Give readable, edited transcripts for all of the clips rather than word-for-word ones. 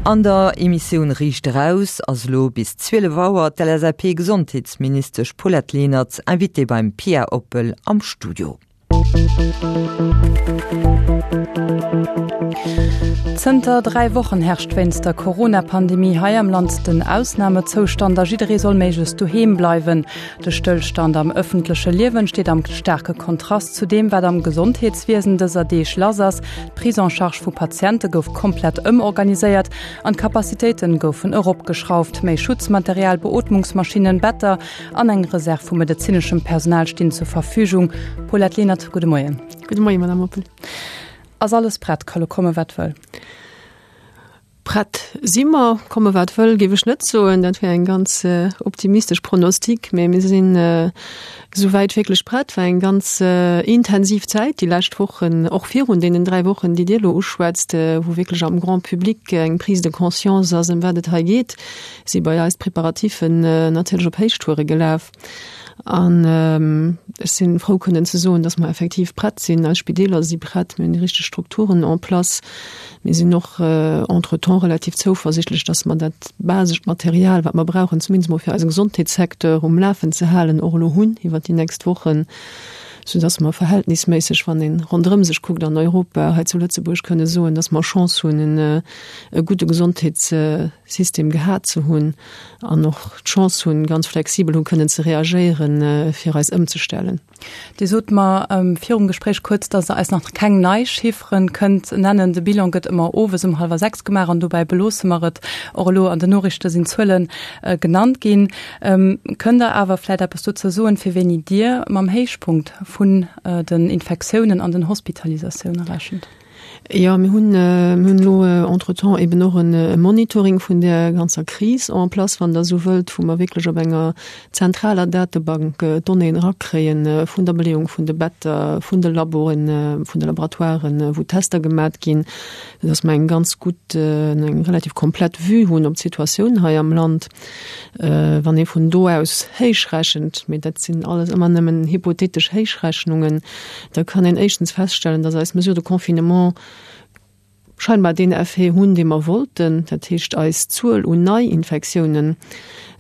An der Emissioun Riicht Eraus ass elo bis 12 Auer d'LSAP-Gesondheetsministesch Paulette Lenert Invitée beim Pia Oppel am Studio. Zënter 3 Wochen herrscht wéinst der Corona-Pandemie hei am Land den Ausnamezoustand a jidderee soll méiglechst doheem bleiwen. De Stëllstand am ëffentleche Liewen steet am staarke Kontrast zu deem, wat am Gesondheetswiesen dëser Deeg lass ass. D'Prise en charge vu Patiente gouf komplett ëmorganiséiert an d'Capacitéite goufen eropgeschrauft. Méi Schutzmaterial, Beootmungsmaschinnen, Better an eng Reserv vu medezineschem Personal stinn zur Verfügung. Paulette Lenert, gudde Moien. Gudde Moien, Madame Oppel. Ass alles prett? Ka lo komme wat wëll? Prett si mer, komme wat wëll, géif ech net soen. Dat wär eng ganz optimistesch Pronostic, mä mir sinn esouwäit wierklech prett. War eng ganz intensiv Zäit déi lescht Wochen, och virun deenen 3 Wochen, déi Dir elo uschwätzt, wou wierklech am Grand public eng Prise de conscience ass, ëm wat et hei geet, si bei eis d'Preparatifen natierlech op Héichtoure gelaf. An ech si frou kënnen ze soen, datt mer effektiv prett sinn. Eis Spideeler si prett, mir hunn déi richteg Strukturen en place. Mir sinn och entretemps relativ zouversichtlech, datt mer dat basescht Material, wat mer brauchen, zumindest mol fir eise Gesondheetssecteur um Lafen ze halen, och elo hunn iwwert déi nächst Wochen, soudatt mer verhältnisméisseg, wann ee ronderëm sech kuckt an Europa, hei zu Lëtzebuerg kënne soen, datt mer Chance hunn, e gudde Gesondheetssystem gehat ze hunn. an och d'Chance hunn, ganz flexibel hu kënnen ze reagéieren, fir eis ëmzestellen. Dir sot mer virum Gespréich kuerz, datt Der eis nach keng nei Chifferen kënnt nennen. De Bilan gëtt ëmmer owes um hallwer 6 gemaach an dobäi beloosse mer et. Och elo an den Noriichte sinn Zuele genannt ginn. Kënnt Der awer vläicht eppes dozou soen, fir wéini Dir mam Héichpunkt vun den Infektiounen an den Hospitalisatioune rechent? Jo, mir hunn, mir hunn elo entretemps eben och e Monitoring vun där ganzer Kris en place, wann Der esou wëllt, wou mer wierklech op enger zentraler Datebank d'Donnéeën erakréien vun der Beleeung vun de Better, vun de Laboen, vun de Laboratoiren, wou Tester gemat ginn, soudass mer eng ganz gutt, eng relativ komplett Vue hunn op d'Situatioun hei am Land. Wann ee vun do aus héichrechent, mee dat sinn alles ëmmer nëmmen hypothetesch Héichrechnungen, da kann een éischtens feststellen, dass eis Mesures de confinement scheinbar deen Effet hunn, dee mer wollten. Dat heescht, eis Zuel un Neiinfektiounen,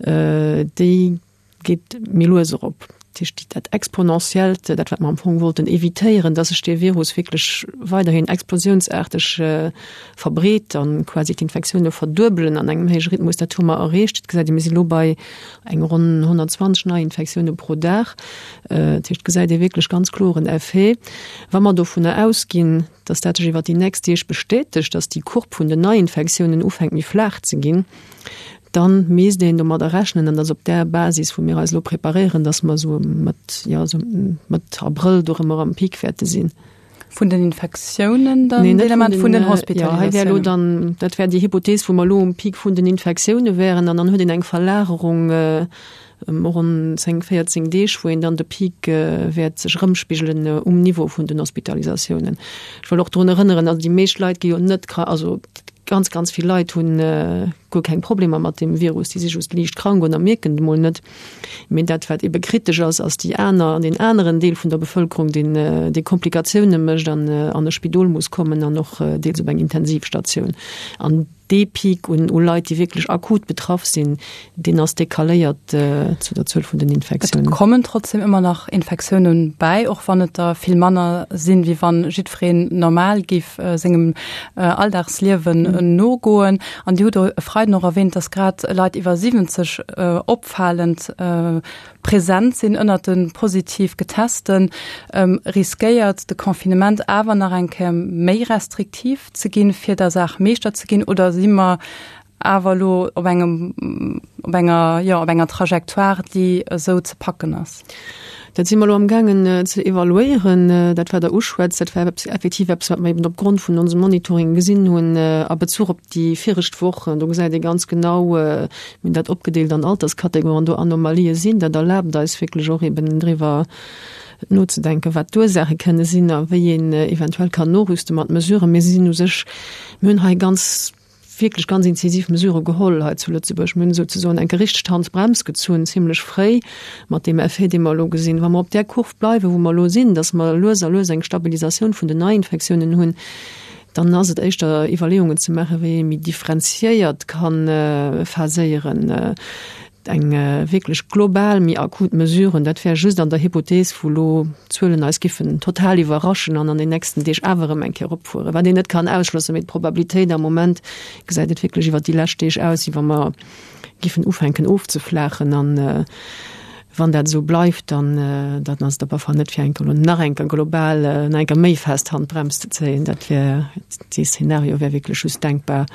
déi geet méi lues erop. Dat heescht, dat Exponentiellt, dat wat mer am Fong wollten evitéieren, dass sech dee Virus wierklech weiderhin explosiounsaarteg verbreet a quasi d'Infektioune verduebelen an engem héije Rhythmus, dat hu mer erreecht. Et gesäit ee, mir si lo bei eng ronn 120 Neiinfektioune pro Dag. Dat heescht, et gesäit ee wierklech ganz kloer en Effet. Wa mer dovunner ausginn, dass dat sech iwwer déi nächst Deeg bestätegt, dass déi Courbe vun den Neiinfektiounen ufänkt méi flaach ze ginn, dann misst een domadder rechnen, an dat ass op där Basis, wou mir eis elo preparéieren, dass mer esou mat, jo, esou Mëtt Abrëll dorëmmer am Peak wäerte sinn. Vun den Infektiounen dann? Nee, net vun den, vun den Hospitalisatiounen. Ja, hei wär elo dann, dat wär déi Hypothees, wou mer elo um Peak vun den Infektioune wären, an dann huet een eng Verlagerung ëm ronn 10, 14 Deeg, wou een dann de Peak wäert sech erëmspigelen um Niveau vun den Hospitalisatiounen. Ech wëll och drun erënneren, also déi meescht Leit gi jo net krank, also ganz, ganz vill Leit hunn guer keng Problemer mat deem Virus, déi si just liicht krank oder mierken et emol net. Mee dat, wat ebe kritesch ass, ass déi aner, deen aneren Deel vun der Bevëlkerung, deen, dee Komplikatioune mécht an an e Spidol muss kommen an och deels op eng Intensivstatioun. An dee Peak un u Leit, déi wierklech akut betraff sinn, deen ass decaléiert zu der Zuel vun den Infektiounen. Et kommen trotzdem ëmmer nach Infektiounen bäi, och wann et der vill manner sinn, wéi wann jiddwereen normal géif sengem Alldagsliewen nogoen. An Dir hutt e Freiden och erwähnt, dass grad Leit iwwer 70 opfalend present sinn ënnert de positiv Getesten. Riskéiert de Confinement awer nach eng Kéier méi restriktiv ze ginn, fir der Saach Meeschter ze ginn, oder si mer awer elo op engem, op enger, jo, op enger Trajectoire, déi esou ze packen ass? Dat si mer elo amgaangen ze evaluéieren. Dat, wat Der uschwätzt, dat war effektiv eppes, wat mer eben opgrond vun onsem Monitoring gesinn hunn a Bezuch op déi viregt Wochen. Do gesäit ee ganz genau, mir hunn dat opgedeelt an Alterskategorien, do Anomalië sinn. Dat erlaabt eis wierklech och eben driwwer nozedenken, wat d'Ursaache kënne sinn a wéi een eventuell kann norüste mat Mesuren. Mir sinn u sech, mir hunn hei ganz, wierklech ganz inzisiv Mesurë geholl hei zu Lëtzebuerg. Mir hunn souzesoen eng gerichteg Handbrems gezunn, zimlech fréi, mat deem Effet, dee mer elo gesinn. Wa mer op där Kurv bleiwen, wou mer elo sinn, dass mer lues a lues eng Stabilisatioun vun den Neiinfektiounen hunn, Dann ass et éischter Iwwerleeungen ze maachen, wéi ee méi differenziéiert ka phaséieren. Eng wierklech global méi akut Mesuren, dat wär just an der Hypothees, wou elo d'Zuelen eis giffen total iwwerraschen an an den nächsten Deeg awer erëm eng Kéier eropfueren, wat een net kann ausschlossen. Mee d'Probabilitéit am Moment gesäit et wierklech iwwert déi lescht Deeg aus, wéi wa mer giffen ufänken ofzeflaachen. An wann dat esou bleift, dann dann ass et op alle Fall net fir eng Kéier elo nach eng Kéier global nach eng Kéier méi fest d'Handbrems ze zéien. Dat wär, dee Szenario wär wierklech just denkbar,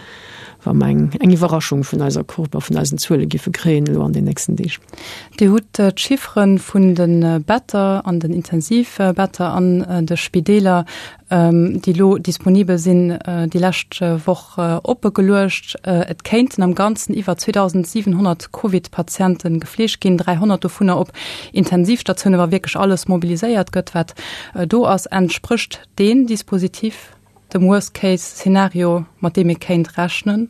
wa mer eng eng Iwwerraschung vun eiser Courbe a vun eisen Zuele giffe kréien elo an den nächsten Deeg. Dir hutt d'Chiffere vun de Better an den Intensivbetter an de Spideeler déi elo disponibel sinn, déi lescht Woch oppe geluecht. Et kéinten am Ganzen iwwer 2.700 Covid-Patiente gefleegt ginn, 300 dovunner op Intensivstatioune wa wierklech alles mobiliséiert gëtt, wat do ass. Entsprécht deen Dispositif dem Worst-Case-Szenario, mat deem ee kéint rechnen?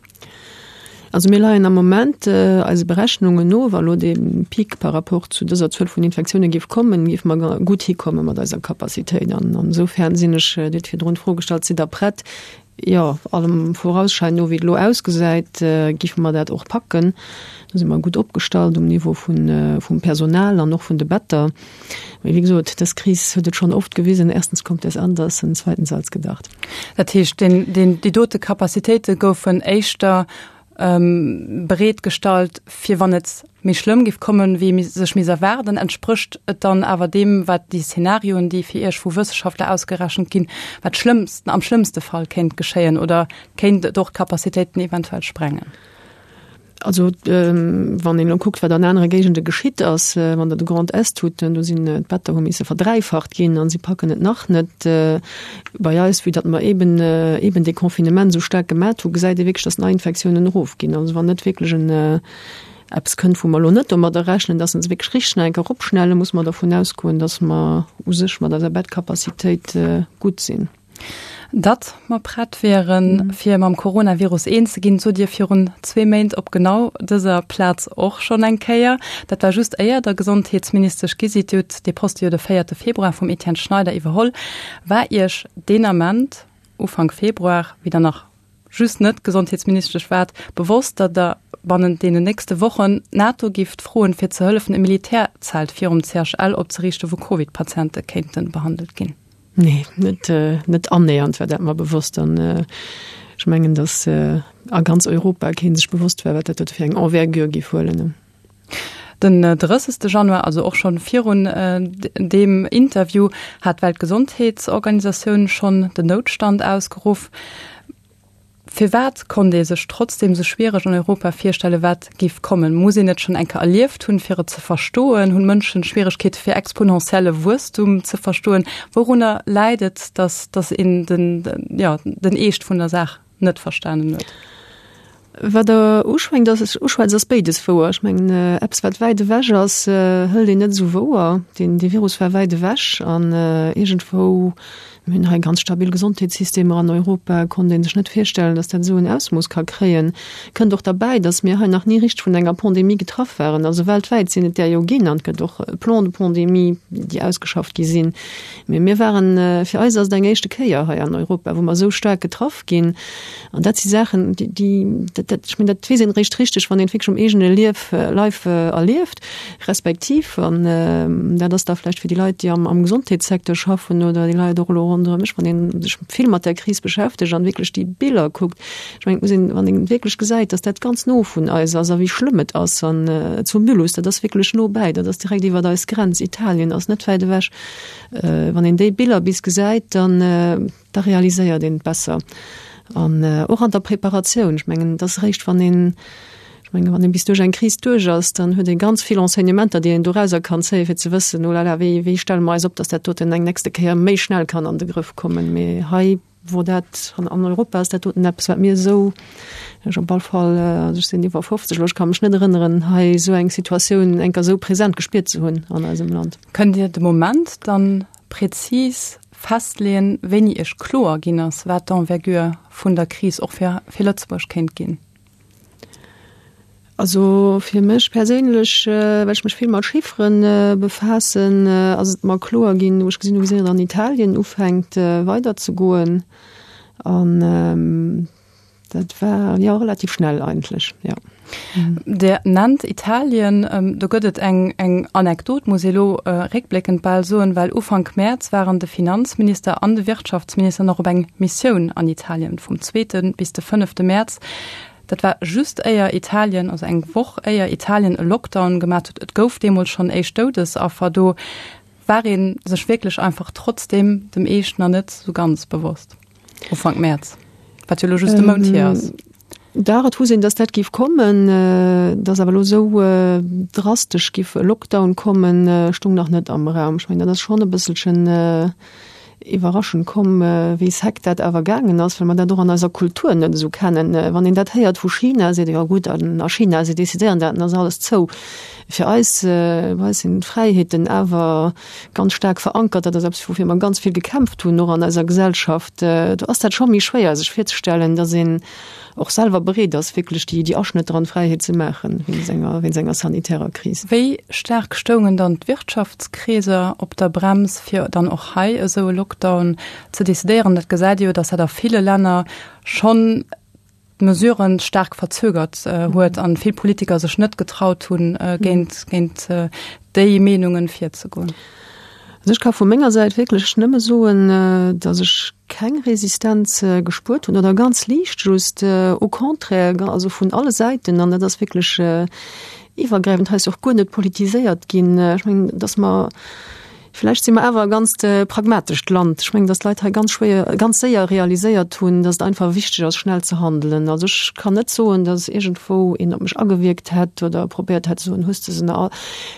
Also mir leien am Moment eise Berechnungen no, wa lo dee Pic par rapport zu dëser Zuel vun Infektioune géif kommen, géife mer gutt hikomme mat eiser Capacitéit. An insofern sinn ech, Dir hutt virdrun d'Fro gestallt, sidd Der prett? Jo, allem Vorausschein no, wéi et elo ausgesäit, géife mer dat och packen. Do si mer gutt opgestallt um Niveau vum Personal an och vun de Better. Mee wéi gesot, dës Kris huet et schonn oft gewisen, erstens kommt es anders und zweitens als gedacht. Dat heescht, deen, deen, déi dote Capacitéite goufen éischter bereet gestallt, fir wann et méi schlëmm géif kommen, wéi ee sech misst erwaarden. Entsprécht et dann awer deem, wat déi Szenarioen, déi fir Iech vu Wësseschaftler ausgerechent ginn, wat schlëmmsten, am schlëmmste Fall kéint geschéien oder kéint et och d'Capacitéiten eventuell sprengen? Also wann een elo kuckt, wat an anere Géigende geschitt ass, wann Der de Grand Est hutt, do sinn d'Better hu misse verdräifacht ginn a si packen et nach net. Bei eis, vue datt mer eeben eeben dee Confinement esou staark gemat hu, gesäit ee wierklech, datt d'Neiinfektiounen erofginn. Also wann net wierklech en eppes kënnt, wou mer elo net domadder rechnen, datt se wierklech richteg nach eng Kéier eropschnellen, muss mer dervun ausgoen, datt mer u sech mat eiser Bettcapacitéit gutt sinn. Datt mer prett wieren, fir mam Coronavirus eens ze ginn, sot Dir virun zwee Méint op genau dëser Plaz och schonn eng Kéier. Dat war just éier Der Gesondheetsministesch gi sidd. Dir hutt dee Poste jo de véierte Februar vum Etienne Schneider iwwerholl. War Iech deen Ament, Ufank Februar, wéi Der nach just net Gesondheetsministesch waart, bewosst, datt Der bannent deenen nächste Wochen d'NATO gifft froen, fir ze hëllefen, e Militärzelt virum CHL opzeriichten, wou Covid-Patiente kéinte behandelt ginn? Nee, net, net annähernd war dat mer bewosst. An ech mengen, datt a ganz Europa kee sech bewosst war, wat dat fir eng Envergure géif huelen. Den 30. Januar, also och schonn virun deem Interview, hat d'Weltgesondheetsorganisatioun schonn den Noutstand ausgeruff. Firwat konnt ee sech trotzdeem sou schwiereg an Europa virstellen, wat géif kommen? Muss een et schonn eng Kéier erlieft hunn, fir et ze verstoen? Hunn Mënschen Schwieregkeete fir exponentielle Wuesstum ze verstoen? Wourunner läit et, datt datt een den, jo, den Eescht vun der Saach net verstanen huet? Wat Der uschwéngt ass, uschwätzt, ass béides wouer. Ech mengen, eppes wat wäit ewech ass, hëlt een net esou wouer. Deen, dee Virus war wäit ewech an iergendwou Mir hunn hei ganz stabil Gesondheetssystemer an Europa, konnt ee sech net virstellen, datt dat esou en Ausmooss ka kréien. Kënnt och derbäi, datt mir hei nach ni richteg vun enger Pandemie getraff waren. Also weltwäit sinn et där jo ginn an et gëtt och Plans de pandémie, déi ausgeschafft gi sinn. Mee mir waren, fir eis ass et eng éischte Kéier hei an Europa, wou mer esou staark getraff ginn. An dat si Saachen, déi, déi, dat, dat, ech mengen, dat weess een eréischt richteg, wann een et wierklech um eegene Lief, Leif erlieft. Respektiv, an dat ass da vläicht fir déi Leit, déi am, am Gesondheetssecteur schaffen oder déi Leit och elo ronderëm mech, wann ee sech vill mat där Kris beschäftegt an wierklech déi Biller kuckt, ech mengen, et muss een, wann een wierklech gesäit, datt dat ganz no vun eis ass a wéi schlëmm et ass an zu Mulhouse, dat ass wierklech no bäi, dat ass direkt iwwert eis Grenz, Italien ass net wäit ewech, wann een déi Biller bis gesäit, dann, da realiséiert een et besser. An och an der Preparatioun, ech mengen, et ass eréischt, wann een, ech mengen, wann een bis duerch eng Kris duerch ass, dann huet ee ganz vill Enseignementer, déi een dorauser kann zéien, fir ze wëssen, oh là là, wéi, wéi stelle mer eis op, datt dat doten eng nächste Kéier méi schnell kann an de Grëff kommen. Mee hei wor dat, an an Europa ass dat doten eppes, wat mir esou, ech op all Fall, also ech sinn iwwer 50 elo, ech ka mech net erënneren, hei esou eng Situatioun eng Kéier esou present gespiert ze hunn an eisem Land. Kënnt Dir de Moment dann prezis festleeën, wéini Iech kloer ginn ass, wat d'Envergure vun der Kris och fir fir Lëtzebuerg kéint ginn? Also fir mech perséinlech, well ech mech vill mat Chiffere befaassen, ass et mer kloer ginn, wou ech gesinn hu wéi séier et an Italien ufänkt weiderzegoen. An dat war, jo, relativ schnell eigentlech, jo. Dir nennt Italien. Do gëtt et eng eng Anekdot, muss ee lo réckbléckend bal soen, well Ufank Mäerz waren de Finanzminister an de Wirtschaftsminister nach op eng Missioun an Italien, vum zweete bis de fënnefte Mäerz. Dat war just éier Italien, also eng Woch éier Italien e Lockdown gemat huet. Et gouf deemools schonn éischt Doudesaffer do. War ee sech wierklech einfach trotzdeem dem Eescht nach net sou ganz bewosst, Ufank Mäerz, wat jo elo just e Mount hier ass? Dach, et wusst een, datt dat géif kommen. Datt awer elo esou drastesch géif e Lockdown kommen, stoung nach net am Raum. Ech mengen, dat ass schonn e bësselchen iwwerraschend komm, wéi sec dat awer gaangen ass, well mer dat och an eiser Kultur net esou kennen. Wann een dat héiert vu China, seet ee jo gutt, an a China, si decidéieren dat an ass alles zou. Fir eis, bei eis sinn d'Fräiheeten awer ganz staark verankert. Dat ass eppes, woufir mer ganz vill gekämpft hunn, och an eiser Gesellschaft. Do ass dat scho méi schwéier, sech virzestellen, datt een och selwer bereet ass, wierklech déi, déi Aschnëtter an d'Fräiheet ze maachen, wéinst enger, wéinst enger sanitärer Kris. Wéi staark stoungen dann d'Wirtschaftskreeser op der Brems, fir dann och hei esou e Lockdown ze decidéieren? Dat gesäit ee jo, datt dat a ville Länner schonn d'Mesuren staark verzögert huet an vill Politiker sech net getraut hunn, géint, géint déi Meenungen virzegoen. Also ech ka vu menger Säit wierklech nëmme soen, datt ech keng Resistenz gespuert hunn oder ganz liicht just, au contraire, also vun alle Säiten, an dat ass wierklech iwwergräifend, hei ass jo och guer net politiséiert ginn. Ech mengen, datt mer, Vläicht si mer awer e ganzt pragmatescht Land. Ech mengen, datt d'Leit hei ganz schwéier, ganz séier realiséiert hunn, datt et einfach wichteg ass, schnell ze handelen. Also ech kann net soen, datt iergendwou een op mech agewierkt hätt oder probéiert hätt ze soen, hues de se nach all?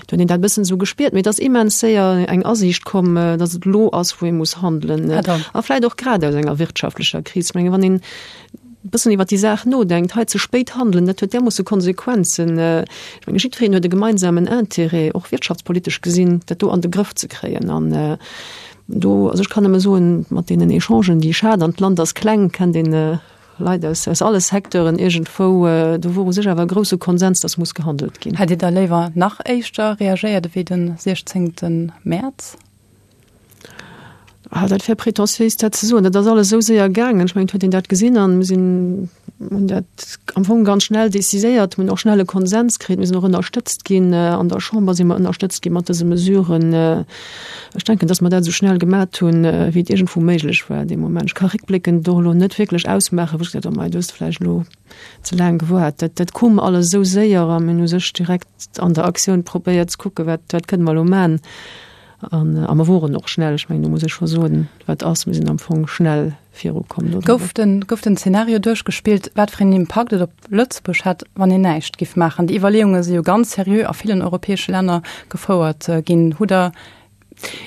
Do huet een dat e bëssen esou gespiert. Mee et ass immens séier eng Asiicht komm, datt et elo ass, wou ee muss handelen. A vläicht och grad aus enger wirtschaftlecher Kris. Ech mengen, wann een e bëssen iwwer déi Saach nodenkt, hei ze spéit handelen, dat huet därmoosse Konsequenzen. Ech menge jiddwereen huet e gemeinsamen Intérêt, och wirtschaftspolitesch gesinn, dat do an de Grëff ze kréien. An do, also ech kann nëmme soen, mat deenen Echangen, déi ech hat, an d'Land ass kleng, kennt een Leit aus aus alle Secteuren iergendwou, do wor u sech awer e grousse Konsens, dass muss gehandelt ginn. Hätt Dir da léiwer nach éischter reagéiert ewéi de 16 Mäerz? Ah, dat wär prétentiéis, dat ze soen. Dat ass alles esou séier gaangen. Ech mengen, et huet een dat gesinn an mir sinn, hunn dat am Fong ganz schnell déciséiert, hunn och schnell e Konsens kritt. Mir sinn och ënnerstëtzt ginn. An der Chamber si mer ënnerstëtzt gi mat dëse Mesuren. Ech denken, datt mer dat esou schnell gemat hunn, wéi et iergendwou méiglech war dee Moment. Ech ka réckbléckend och elo net wierklech ausmaachen, wou ech gesot hunn, oh mei, du hues vläicht elo ze laang gewaart. Dat, dat koum alles esou séier a mir hunn u sech direkt an der Aktioun probéiert ze kucken, wat, wat kënne mer elo man. An a mer woren och schnell, ech mengen do muss ech scho soen, wat ass, mir sinn am Fong schnell virukomm do. Gouf den, gouf den Zeenario duerchgespillt, wat fir een Impakt et op Lëtzebuerg hätt, wann een näischt giff maachen? Déi Iwwerleeunge si jo ganz seriö a villen europäesche Länner gefouert ginn. Hutt Der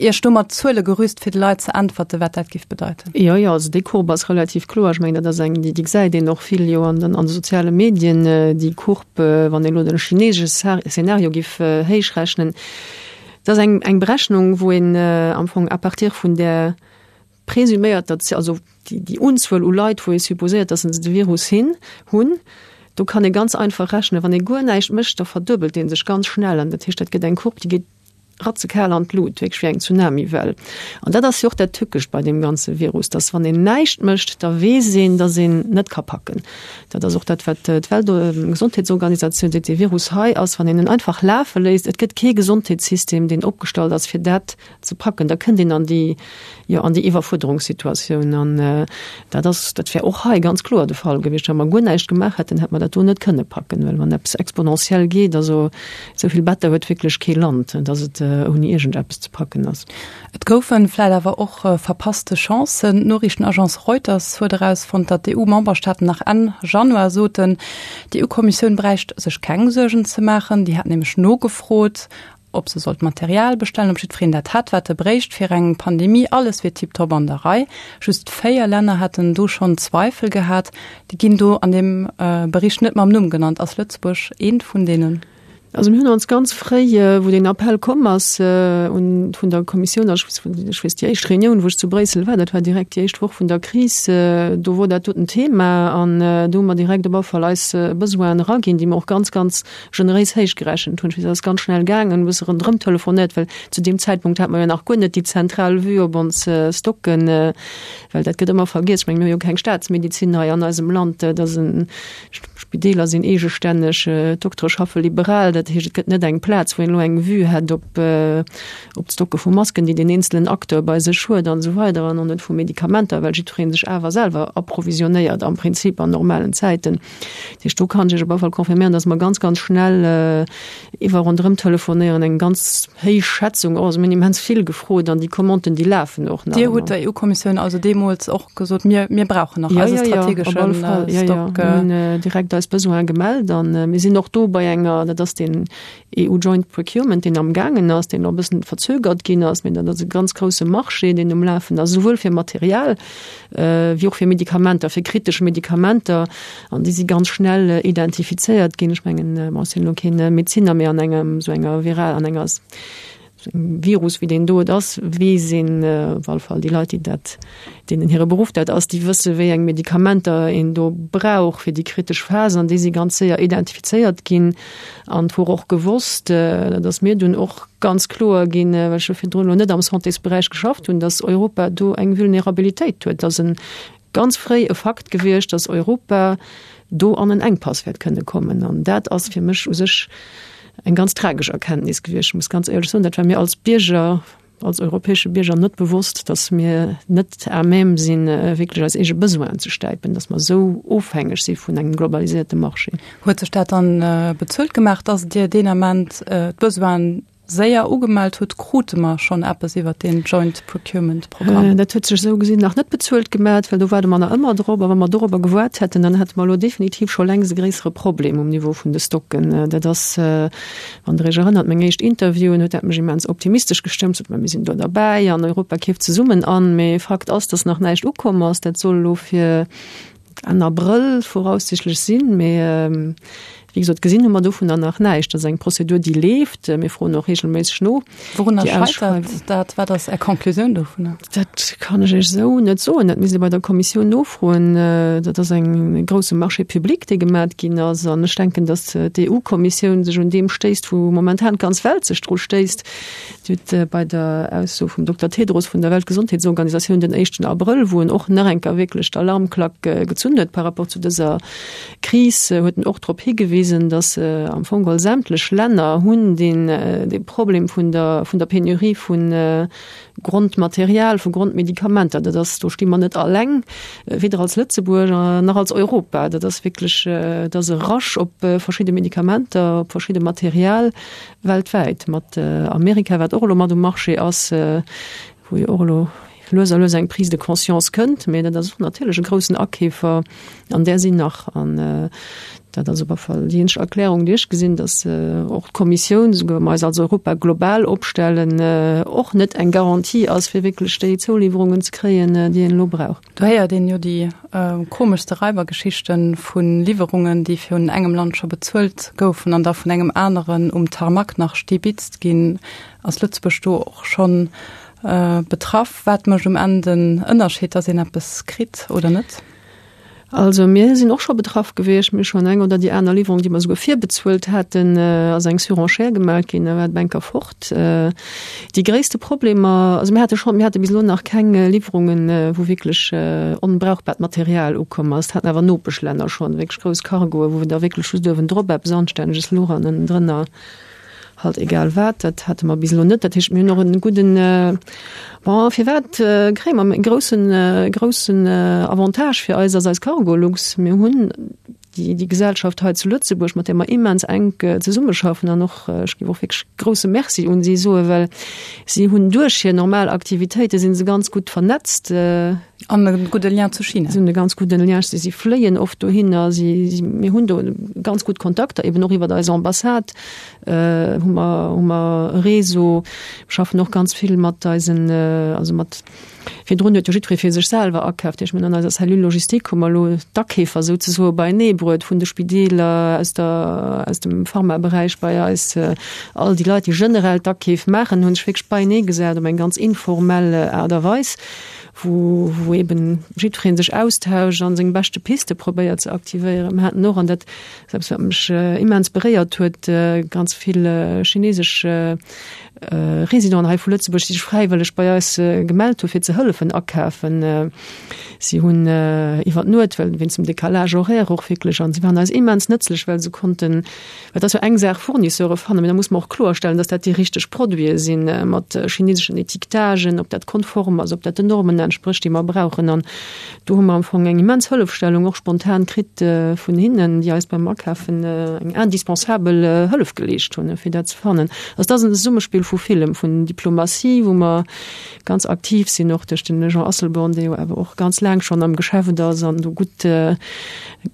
Iech do mat Zuele gerüst, fir de Leit ze äntwerte wat dat giff bedeiten? Jo, jo, also déi Courbe ass relativ kloer. Ech mengen, dat ass eng, déi, déi gesäit een och vill jo an den, an de soziale Medien, déi Courbe, wann een elo de chinesesche Szenario giff héichrechnen, Dat ass eng, eng Berechnung, wou een am Fong à partir vun där presuméierter, also déi, déi Unzuel u Leit, wou ee supposéiert, dass se de Virus hin, hunn, do kann ee ganz einfach rechnen, wann ee guer näischt mécht, da verduebelt dee sech ganz schnell. An dat heescht, dat gëtt eng Courbe, déi geet ratzekal an d'Lut, wierklech wéi eng Tsunamiwell. An dat ass jo och dat Tückescht bei deem ganze Virus, dass wann een näischt mécht, da weess een, dass een net ka packen. Dat ass och dat, wat d'Weltgesondheetsorganisatioun seet, Dee Virus hei ass, wann een en einfach lafe léisst, et gëtt kee Gesondheetssystem, deen opgestallt ass, fir dat ze packen, da kënnt een an déi, jo, an déi Iwwerfuerderungssituatioun. An dat ass, dat wär och hei ganz kloer de Fall gewiescht. Wa mer guer näischt gemaach hätten, hätt mer dat do net kënne packen, well wann eppes exponentiell geet, also esou vill Better huet wierklech kee Land, datt et ouni iergendeppes ze packen ass. Et goufen vläit awer och verpasste Chancen. D'Noriichtenagence Reuters huet erausfonnt, datt d'EU-Memberstaaten nach Enn Januar soten, d'EU-Kommissioun bräicht sech keng Suergen ze maachen. Déi hätt nämlech nogefrot, ob se sollt Material bestellen, ob jiddwereen dat hätt, wat e bréicht fir eng Pandemie. Alles wier tiptop an der Rei. Just 4 Länner hätten do schonn Zweifel gehat. Déi ginn do an deem Bericht net mam Numm genannt. Ass Lëtzebuerg eent vun deenen? Also mir hunn ons ganz fréi, wou deen Appell komm ass un vun der Kommissioun, also ech weess déi éischt Reunioun, wou ech zu Bréissel war, dat war direkt déi éischt Woch vun der Kris, do wor dat doten Thema an do hu mer direkt op alle Fall eis Besoinen eraginn, déi mer och ganz, ganz generéis héich gerechent hunn. Ech weess, dat ass ganz schnell gaangen, e bësse ronderëm telefonéiert, well zu deem Zäitpunkt hat mer jo nach guer net déi zentral Vue op ons Stocken, well dat gëtt ëmmer vergiess. Ech menge mir hu jo keng Staatsmedizin hei an eisem Land, dat ass en D'Spideeler sinn eegestänneg, d'Doktere schaffe liberal, dat heescht et gëtt net eng Plaz, wou een elo eng Vue hätt op op d'Stocke vu Masken, déi deen eenzelen Acteur bei sech huet an esou weider an och net vu Medikamenter, well jiddweree sech awer selwer approvisionnéiert am Prinzip an normalen Zäiten. Dat heescht, do kann ech Iech op alle Fall confirméieren, datt mer ganz, ganz schnell iwwer ronderëm telefonéieren, eng ganz héich Schätzung, also mir hunn immens vill gefrot an déi Commanden, déi lafen och nach ëmmer. Dir hutt der EU-Kommissioun also deemools och gesot, mir, mir brauchen nach eise strategesche ja, ja, ja, Stock. Ja, ja. Mir hunn äh, direkt eis Besoin gemellt an äh, mir sinn och do bei enger, dat ass den EU Joint Procurement, deen am gaangen ass, deen och e bëssen verzögert ginn ass, mee dat ass e ganz grousse Marché, deen um Lafen ass, souwuel fir Material äh, wéi och fir Medikamenter, fir kritesch Medikamenter an déi si ganz schnell äh, identifizéiert ginn. Ech mengen, äh, bon, ech sinn elo keen äh, Medeziner, mee an engem sou enger viral, an enger Virus wéi deen do et ass, weess een, op alle Fall déi Leit, déi dat, deenen hire Beruff dat ass, déi wësse wéi eng Medikamenter een do brauch fir déi kritesch Phas an déi si ganz séier identifizéiert ginn. An et wor och gewosst, dat ass mir dunn och ganz kloer ginn, well ech jo virdrun elo net am Santésberäich geschafft hunn, datt Europa do eng Vulnerabilitéit huet, datt e ganz fréi e Fakt gewiescht, datt Europa do an en Enkpass wäert kënne kommen. An dat ass fir mech u sech eng ganz tragesch Erkenntnis gewiescht. Ech muss ganz éierlech soen, dat war mir als Bierger, als europäesche Bierger net bewosst, datt mir net à même sinn, wierklech eis eege Besoinen ze stäipen, datt mer esou ofhängeg si vun engem globaliséierte Marché. Huet sech dat dann bezuelt gemaach, datt Dir deen Ament d'Besoinen séier ugemellt hutt, krute mer schonn eppes iwwert deen Joint Procurement Programm? Dat huet sech esou gesinn nach net bezuelt gemat, well do waarde mer nach ëmmer drop. A wa mer dorobber gewaart hätten, dann hätte mer elo definitiv scho längst e gréissere Problem um Niveau vun de Stocken. Dat ass, wann Der Iech erënnert, meng éischt Interviewen, huet dat mech immens optimistesch gestëmmt, sot mer, mir sinn do derbäi an Europa keeft zesummen an. Mee Fakt ass, dass nach näischt ukomm ass. Dat soll elo fir Enn Abrëll voraussichtlech sinn, mee wéi gesot, gesinn hu mer dovunner nach näischt. Dat ass eng Prozedur, déi leeft. Mir froen och reegelméisseg no. Wourunner scheitert dat? Wat ass Är Conclusioun dovunner? Dat kann ech Iech esou net soen. Dat misst ee bei der Kommissioun nofroen. Dat ass eng grousse Marché public, dee gemat ginn ass. An ech denken, datt d'EU-Kommissioun sech un deem stéisst, wou momentan d'ganz Welt sech dru stéisst. Dir hutt bei der Ausso vum Dokter Tedros vun der Weltgesondheetsorganisatioun den éischten Abrëll, wou en och nach eng Kéier wierklech d'Alarmklack gezunn huet par rapport zu dëser Kris, huet en och drop higewisen, datt am Fong geholl sämtlech Länner hunn deen dee Problem vun der vun der Penurie vu Grondmaterial, vu Grondmedikamenter. Dat ass, do sti mer net alleng, weder als Lëtzebuerg nach als Europa. Dat ass wierklech, dat ass e Rush op verschidde Medikamenter, op verschidde Material. Weltwäit, mat Amerika, wat och elo mat um Marché ass, wou jo och elo lues a lues eng Prise de conscience kënnt, mee dat ass och natierlech e groussen Akeefer an där sinn nach. An dat ass op alle Fall déi eenzeg Erklärung, déi ech gesinn, datt och d'Kommissioun, esouguer wa mer eis als Europa global opstellen, och net eng Garantie ass, fir wierklech déi Zouliwwerungen ze kréien, déi een elo brauch. Do héiert een jo déi komeschste Raibergeschichten vu Liwwerungen, déi vun engem Land scho bezuelt goufen an da vun engem aneren um Tarmac nach stibitzt ginn. Ass Lëtzebuerg do och schonn betraff? Wat mécht um Enn den Ënnerscheed, datt een eppes kritt oder net? Also mir sinn och scho betraff gewiescht. Mir hu schonn eng oder déi aner Liwwerung, déi mer souguer virbezuelt haten, ass eng Surenchère gemellt ginn, da war d'Banker fort. Déi gréisste Problemer, also mir hate schonn, mir hate bis elo nach keng Liwwerungen, wou wierklech onbrauchbart Material ukomm ass. Dat haten awer Nopeschlänner schonn, wierklech grouss Cargoe, wou da wierklech just uewendrop eppes Anstänneges louch an ënnendrënner halt egal wat. Dat hate mer bis elo net. Dat heescht, mir hunn och e gudden, bon, firwat kréie mer e groussen, groussen Avantage fir eis ass eis Cargolux. Mir hunn déi, déi Gesellschaft hei zu Lëtzebuerg, mat där mer immens enk zesummeschaffen an och, ech géif och wierklech grouse Merci un si soen, well si hunn duerch hir normal Aktivitéite si se ganz gutt vernetzt. An e gudde Lien zu China. Si hunn e ganz gudden Lien, si si fléien oft dohinner, si si mir hunn do ganz gutt Kontakter, eben och iwwer eis Ambassade hu mer hu mer e Réseau. Mir schaffen och ganz vill mat eisen, also mat, virdrun huet jo jiddweree fir sech selwer akaaft. Ech mengen an eiser Cellule logistique hu mer elo d'Akeefer souzesoe beineebruet vun de Spideeler, aus der aus dem Pharmaberäich bei eis. All déi Leit, déi generell d'Akeef maachen, hu sech wierklech beineegesat op eng ganz informell Aart a Weis, wou wou eben jiddweree sech austauscht a seng beschte Piste probéiert ze aktivéieren. Mir haten och, an dat ass eppes, wat mech immens beréiert huet, ganz vill chinesesch Residenten hei vu Lëtzebuerg, déi sech fräiwëlleg bei eis gemellt hu fir ze hëllefen akafen. Si hunn iwwer d'Nuet, well wéinst dem Décalage horaire och wierklech, an si waren eis immens nëtzlech, well se konnten, well et ass jo eng Saach Fournisseure fannen, mee da muss mer och kloerstellen, dass dat déi richteg Produite sinn, mat chineseschen Étiquetagen, ob dat konform ass, ob dat den Normen entsprécht, déi mer brauchen. An Do hu mer am Fong eng immens Hëllefstellung och spontan kritt vun hinnen, déi eis beim Akafen eng indispensabel Hëllef geleescht hunn, fir dat ze fannen. Also dat ass en Zesummespill vu villem, vun Diplomatie, wou mer ganz aktiv sinn, och duerch den Jean Asselborn, dee jo awer och ganz laang schonn am Geschäft ass an do gutt,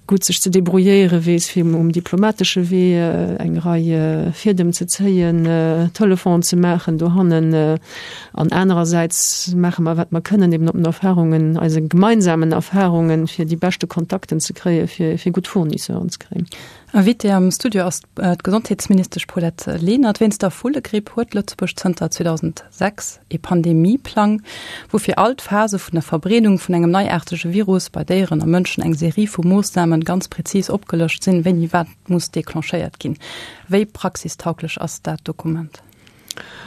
gutt sech ze debrouilléiere weess, fir um diplomatesche Wee eng Rei Fiedem ze zéien, Telefonen ze maachen dohannen. An anerersäits maache mer, wat mer kënnen, eben op den Erfahrungen, eise gemeinsamen Erfahrungen, fir déi beschte Kontakten ze kréien, fir, fir gutt Fournisseuren ze kréien. Invitée am Studio ass d'Gesondheetsministesch Paulette Lenert. Wéinst der Vullegripp huet Lëtzebuerg zënter 2006 ee Pandemieplang, wou fir all d'Phase vun der Verbreedung vun engem neiaartege Virus bei Déieren a Mënschen eng Serie vu Moossnamen ganz prezis opgelëscht sinn, wéini wat muss declenchéiert ginn. Wéi praxistauglech ass dat Dokument?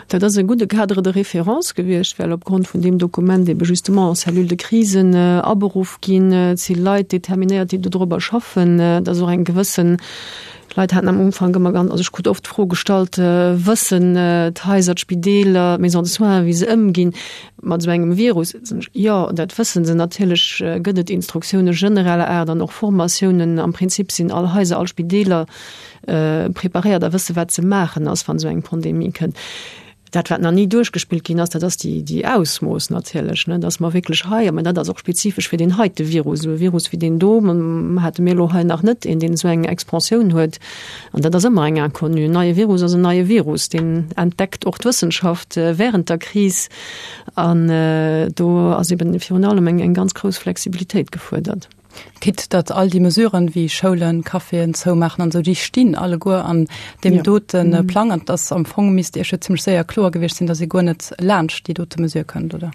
Dat ass e gudde Cadre de référence gewiescht, well opgrond vun deem Dokument ebe justement Cellule de crise aberuff ginn. Et si Leit determinéiert, déi dodrobber schaffen. Et ass och eng gewëssen, d'Leit haten am Ufank ëmmer ganz, also ech krut oft d'Fro gestallt, Wëssen d'Haiser, d'Spideeler, d'Maisons de soins, wéi se ëmginn mat esou engem Virus? Jo, dat wësse se. Natierlech gëtt et Instruktioune genereller Aart an och Formatiounen. Am Prinzip sinn all Haiser, all Spideeler preparéiert a wësse wat ze maachen ass, wann esou eng Pandemie kënnt. Dat wat nach ni duerchgespillt ginn ass, dat ass déi déi Ausmooss natierlech, ne, datt mer wierklech hei, mä dat ass och spezifesch fir deen heite Virus, esou e Virus wéi deen do hate mir elo hei nach net een, deen esou eng Expansioun huet. An dat ass ëmmer eng Inconnue. En neie Virus ass en neie Virus, deen entdeckt och d'Wëssenschaft während der Kris. An do ass eben virun allem eng eng ganz grouss Flexibilitéit gefuerdert. Quitte datt all déi Mesuren, wéi Schoulen, Caféen zoumaachen an esou, déi stinn alleguer an deem dote Plang. An et ass am Fong, misst Iech jo zimlech séier kloer gewiescht sinn, datt ee guer net laanscht déi dote Mesure kënnt, oder?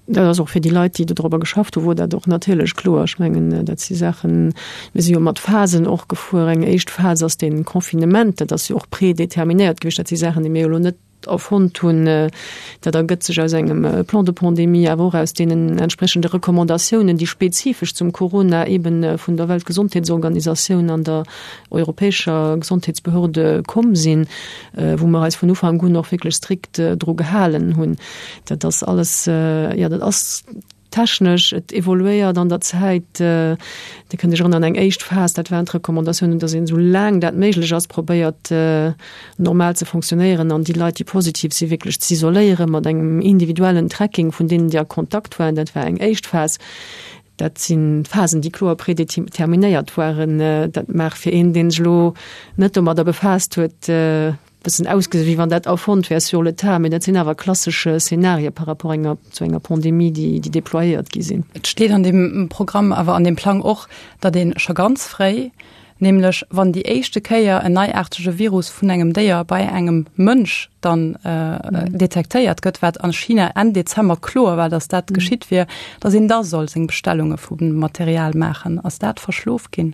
Dat ass och fir déi Leit, déi dodrobber geschafft hunn, wor dat och natierlech kloer. Ech mengen, dat si Saachen, mir si jo mat Phasen och gefuer. Eng éischt Phas ass dee Confinement, dat ass jo och prédéterminéiert gewiescht. Dat si Saachen, déi mir jo elo net erfonnt hunn. Dat ergëtt sech aus engem Plan de pandémie, awer och aus deenen entsprechende Recommandatiounen, déi spezifesch zum Corona eben vun der Weltgesondheetsorganisatioun an der europäescher Gesondheetsbehörde komm sinn, wou mer eis vun Ufank un och wierklech strikt dru gehalen hunn. Dat ass alles, jo, dat ass Technesch, et evoluéiert an der Zäit. Dir kënnt Iech erënneren, eng éischt Phas, dat waren d'Recommandatiounen, datt een esou laang dat méiglech ass, probéiert normal ze fonctionnéieren an déi Leit, déi positiv sinn, wierklech z'isoléieren mat engem individuellen Tracking vun deenen, déi a Kontakt waren. Dat war eng éischt Phas. Dat si Phasen, déi kloer predeterminéiert waren. Dat mag fir een, dee sech elo net domadder befaasst huet, bëssen ausgesinn, wéi wann dat erfonnt wär sur le tas, mee dat sinn awer klassesch Szenarie par rapport enger, zu enger Pandemie, déi, déi déployéiert gi sinn. Et steet an deem Programm, awer an deem Plang och, datt ee scho ganz fréi, nämlech wann déi éischte Kéier en neiaartege Virus vun engem Déier bei engem Mënsch dann detektéiert gëtt, wat a China Enn Dezember kloer war, datt dat geschitt wier, datt een da soll seng Bestellunge vu Material maachen. Ass dat verschlof ginn?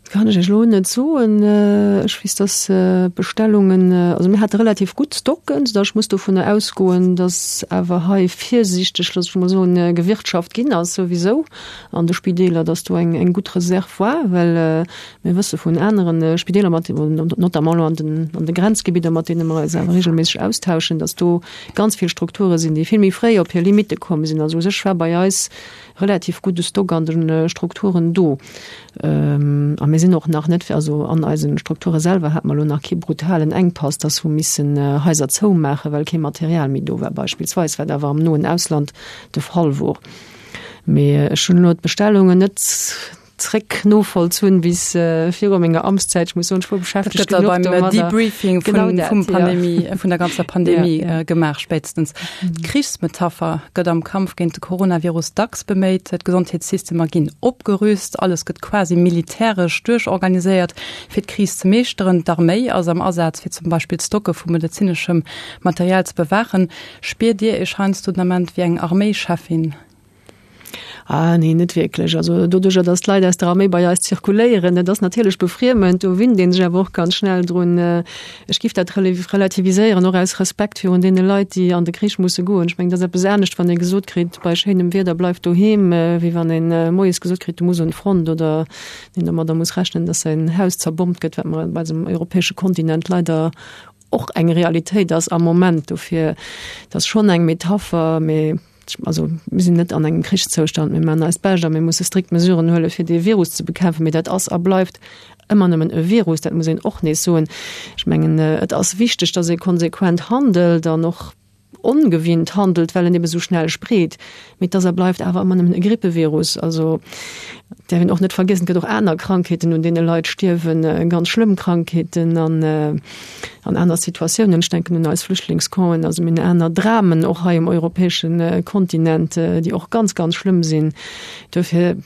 Dat kann ech Iech elo net soen. Ech weess, dass d'Bestellungen, also mir hate relativ gutt Stocken, soudass ech muss dovunner ausgoen, dass awer hei virsiichteg, looss ech mol soen, gewirtschaft ginn ass souwisou an de Spideeler, dass do eng eng gutt Reserv war, well mir wësse vun anere Spideeler, mat notamment elo an den an de Grenzgebidder, mat deene mer eis awer regelméisseg austauschen, dass do ganz vill Strukture sinn, déi vill méi fréi op hir Limitte komm sinn. Also u sech war bei eis relativ gudde Stock an de Strukturen do. A mir sinn. sinn och nach net, also an eise Strukture selwer hate mer elo nach kee brutalen Enkpass, dass hu missen Haiser zoumaachen, well kee Material méi do war beispillsweis, wat awer am noen Ausland de Fall wor. Mee ech hunn elo d'Bestellungen net zréck novollzunn bis viru menger Amtszäit. Ech muss soen, ech wor beschäftegt genuch domadder. Dat gëtt da beim Debriefing vun, vum Pandemie, vun der ganzer Pandemie ja. gemaach spéitstens. D'Krichsmetapher gëtt am Kampf géint de Coronavirus dacks beméit. D'Gesondheetssystemer ginn opgerüst, alles gëtt quasi militäresch duerchorganiséiert, fir d'Kris ze meeschteren. D'Arméi ass am Asaz, fir zum Beispill d'Stocke vu medezineschem Material ze bewaachen. Spiert Dir Iech heiansdo den Ament wéi eng Arméischeffin? Ah nee, net wierklech. Also doduercher, datt d'Leit aus der Arméi bei eis zirkuléieren, dat ass natierlech befriemend, do winnt ee sech awer och ganz schnell drun. Ech giff dat relativiséieren, och aus Respekt virun deene Leit, déi an de Krich musse goen. Ech mengen, dat ass eppes anescht, wann ee gesot kritt, bei schéinem Wieder bleif doheem, wéi wann ee moies gesot kritt, du muss un d'Front oder een domadder muss rechnen, datt säin Haus zerbommt gëtt, wat mer op eisem europäesche Kontinent leider och eng Realitéit ass am Moment. Dofir, dat ass schonn eng Metapher, mee also mir sinn net an engem Krichszoustand, mir maachen eist Bescht a mir musse strikt Mesuren huele fir dee Virus ze bekämpfen. Mee dat ass a bleift ëmmer nëmmen e Virus, dat muss een och nees soen. Ech mengen, et ass wichteg, datt ee konsequent handelt an och ongewinnt handelt, well en ebe sou schnell spreet. Mee et ass a bleift awer ëmmer nëmmen e Grippevirus. Also et däerf een och net vergiessen, et gëtt och aner Krankheeten, un deene Leit stierwen, ganz schlëmm Krankheeten an an aner Situatiounen. Ech denken un eis Flüchtlingscampen, also mir hunn aner Dramen och hei um europäesche Kontinent, déi och ganz, ganz schlëmm sinn. Duerfir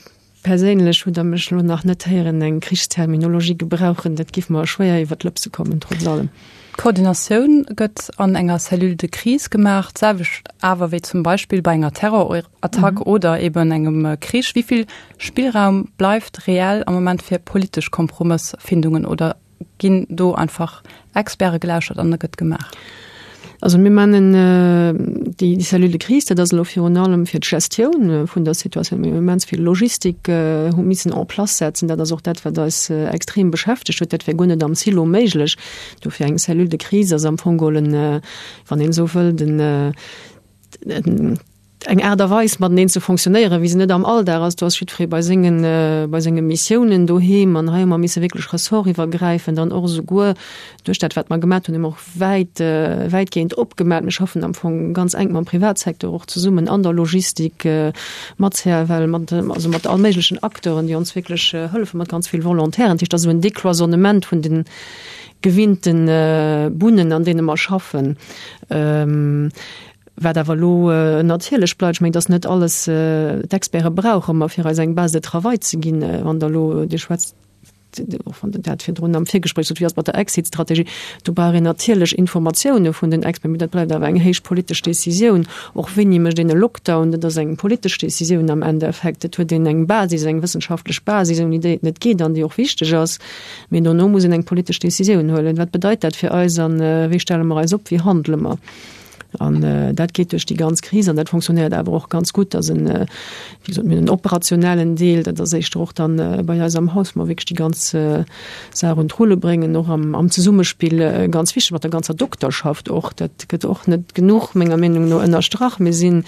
perséinlech hutt Der mech elo nach net héieren eng Krichsterminologie gebrauchen. Dat géif mer schwéier iwwer d'Lëpse kommen, trotz allem. D'Koordinatioun gëtt an enger Cellule de crise gemaach, d'selwecht awer wéi zum Beispill bei enger Terrorattack oder eben engem Krich. Wéi vill Spillraum bleift reell am Moment fir politesch Kompromëssfindungen oder ginn do einfach Experte gelauschert an da gëtt gemaach? Also mir meinen déi Cellule de crise, dat ass elo virun allem fir d'Gestioun vun der Situatioun. Mir hunn immens vill Logistik hu missen en place setzen. Dat ass och dat, wat eis extrem beschäftegt huet. Dat wär guer net am Silo méiglech. Dofir eng Cellule de crise ass am Fong geholl en, wann een esou wëllt, en, eng Aart a Weis mateneen ze fonctionnéieren, wéi se net am Alldag ass. Do ass jiddweree bei sengen, bei senge Missiounen doheem an hei hu mer misse wierklech ressortiwwergräifend an och esouguer duerch dat, wat mer gemat hunn, hu mer och wäit, wäitgehend opgemat. Mir schaffen am Fong ganz enk mam Privatsecteur och zesummen an der Logistik, mat CFL, mat, also mat all méiglechen Acteuren, déi ons wierklech hëllefen, mat ganz vill Volontairen. Dat heescht, dat ass esou en Décloisonnement vun den gewinnte Bunnen, an deene mer schaffen. Wat awer elo natierlech bleift, ech mengen, dass net alles, d'Experte brauche mer, fir eis eng Base de travail ze ginn. Wann Der elo, Dir schwätzt, och wann Der dat virdrun am Virgespréich sot, wéi ass et mat der Exit-Strategie, do brauch een natierlech Informatioune vun den Experten, mee dat bleift awer eng héich politesch Décisioun. Och wéini mécht een e Lockdown, dat ass eng politesch Décisioun am Endeffekt. Et huet een eng Basis, eng wëssenschaftlech Basis, ouni déi et net geet an déi och wichteg ass. Mee dono muss een eng politesch Décisioun huelen. Wat bedeit dat fir eis a wéi stelle mer eis op, wéi handele mer? An dat geet duerch déi ganz Kris an dat fonctionnéiert awer och ganz gutt. Dat ass en, wéi gesot, mir hunn en operationellen Deel, dat ass éischter och dann bei eis am Haus, wou mer wierklech déi ganz Saach un d'Rulle bréngen, och am, am Zesummespill, ganz wichteg mat der ganzer Dokterschaft och. Dat gëtt och net genuch, menger Meenung no, ënnerstrach. Mir sinn,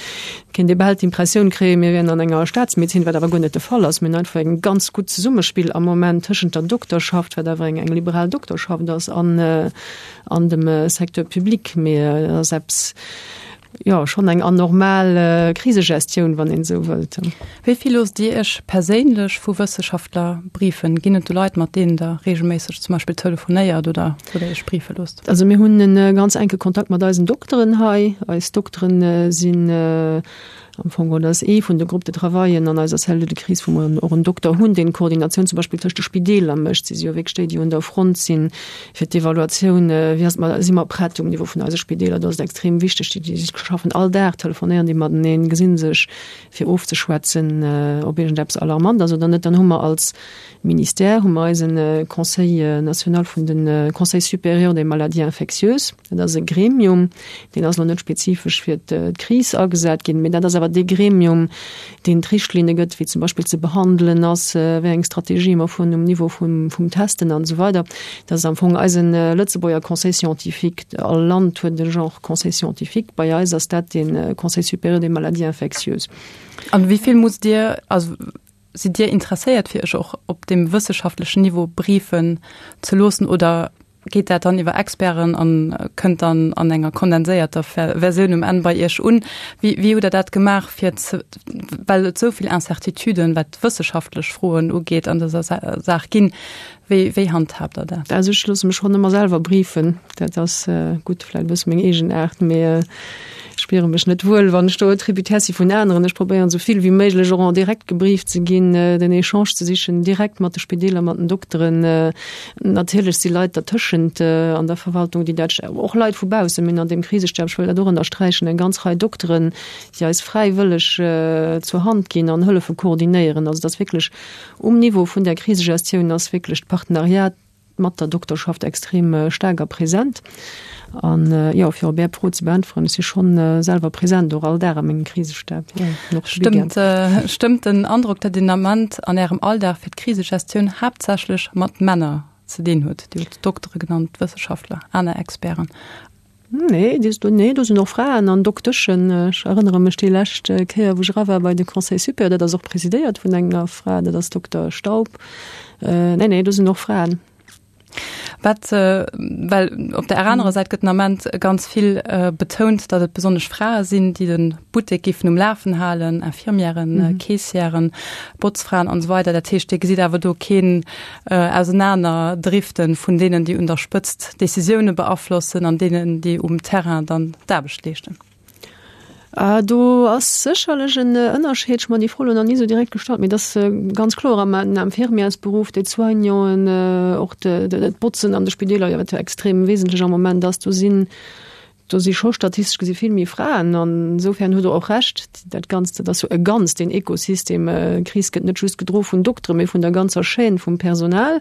kéint ee bal d'Impressioun kréien, mir wieren an enger Staatsmedezin, wat awer guer net de Fall ass. Mir hunn einfach e ganz gutt Zesummespill am Moment tëschent der Dokterschaft, wat awer eng, eng liberal Dokterschaft ass, an, an dem Secteur public, mee et ass eppes, jo, schonn eng anormal Krisegestioun, wann een esou wëllt. Wéi vill loosst Dir Iech perséinlech vu Wësseschaftler briefen? Ginn et do Leit, mat deenen Der reegelméisseg zum Beispill telefonéiert oder wou Der Iech briefe loosst? Also mir hunn e ganz enke Kontakt mat eisen Dokteren hei. Eis Dokteren sinn Am Fong geholl ass ee vun de Groupes de travaillen an eiser Cellule de crise, wou mer och en Dokter hunn, deen d'Koordinatioun zum Beispill tëscht de Spideeler mécht. Si si jo wierklech déi, déi un der Front sinn fir d'Evaluatioun, wéi ass et, si mer prett um Niveau vun eise Spideeler. Do ass et extrem wichteg, déi schaffen all Dag, telefonéieren déi mateneen, gesi sech fir ofzeschwätzen, ob iergendeppes alarmant ass oder net. Dann hu mer als Ministère hu mer eise Conseil national vun de Conseil supérieur des maladies infectieuses. Dat ass e Gremium, deen ass elo net spezifesch fir d'Kris agesat ginn, mee dat ass awer dee Gremium, deen d'Richtlinne gëtt, wéi zum Beispill ze behandelen ass, wéi eng Strategie mer fueren um Niveau vum, vum Testen an esou weider. Dat ass am Fong eise Lëtzebuerger Conseil scientifique. All Land huet e Genre Conseil scientifique. Bei eis ass dat de Conseil supérieur des maladies infectieuses. An wéi vill musst Dir, also. Sidd Dir interesséiert fir Iech och op deem wësseschaftlechen Niveau briefen ze loossen oder geet dat dann iwwer Experten an kënnt dann an enger kondenséierter Versioun um Enn bei Iech un? Wéi, wéi hutt Der dat gemaach fir ze, well et esou vill Incertituden, wat wësseschaftlech Froen ugeet, an dëser Saach ginn, wéi, wéi handhaabt Der dat? Also ech loosse mech schonn ëmmer selwer briefen. Dat ass gutt, vläicht e bësse meng Eegenaart, mee ech spiere mech net wuel, wann ech do tributaire si vun aneren. Ech probéieren esou vill wéi méiglech och en direct gebrieft ze ginn, den Echange ze sichen, direkt mat de Spideeler, mat den Dokteren. Natierlech si Leit dertëschent an der Verwaltung, déi dat, och Leit vu baussen, mir hunn an deem Krisestab, ech wëll dat och ënnersträichen, eng ganz Rei Dokteren, déi eis fräiwëlleg zur Hand ginn an hëllefe koordinéieren. Also et ass wierklech um Niveau vun där Krisegestioun ass wierklech d'Partenariat mat der Dokterschaft extrem staark a present. An jo, fir op Är Fro ze beäntweren, ech si schonn selwer present och all Dag a mengem Krisestab, jo, an och de Weekend. Stëmmt, stëmmt den Androck, datt een am Ament an Ärem Alldag fir d'Krisegestioun haaptsächlech mat Männer ze dinn hutt? Dir hutt d'Doktere genannt, d'Wësseschaftler, aner Experten. Nee, do, nee, do sinn och Fraen an Dokteschen. Ech erënnere mech déi lescht Kéier, wou ech era war bei de Conseil supérieur, dat ass och presidéiert vun enger Fra, dat ass Dokter Staub. Nee, nee, do sinn och Fraen. Wat, well op der anerer Säit gëtt den Ament ganz vill betount, datt et besonnesch Frae sinn, déi de Buttek géifen um Lafen halen, Infirmièren, Keessièren, Botzfraen an esou weider. Dat heescht, Dir gesitt awer do keen Ausenanerdriften vun deenen, déi un der Spëtzt Decisioune beaflossen an deenen, déi um Terrain dann d'Aarbecht leeschten. Do ass sécherlech en Ënnerscheed. Ech hu mer déi Fro elo nach ni esou direkt gestallt, mee et ass ganz kloer am Infirmièrsberuff, d'Aide-soignanten, och d'Botzen an de Spideeler, jo wat jo extrem wesentlech am Moment ass, do sinn do si scho statistesch gesi vill méi Fraen. An insofern hutt Der och Recht, dat Ganzt, dat ass jo e Ganzt, deen Ekosystem. D'Kris gëtt net just gedro vun Dokteren, mee vun der ganzer Chaîne vum Personal.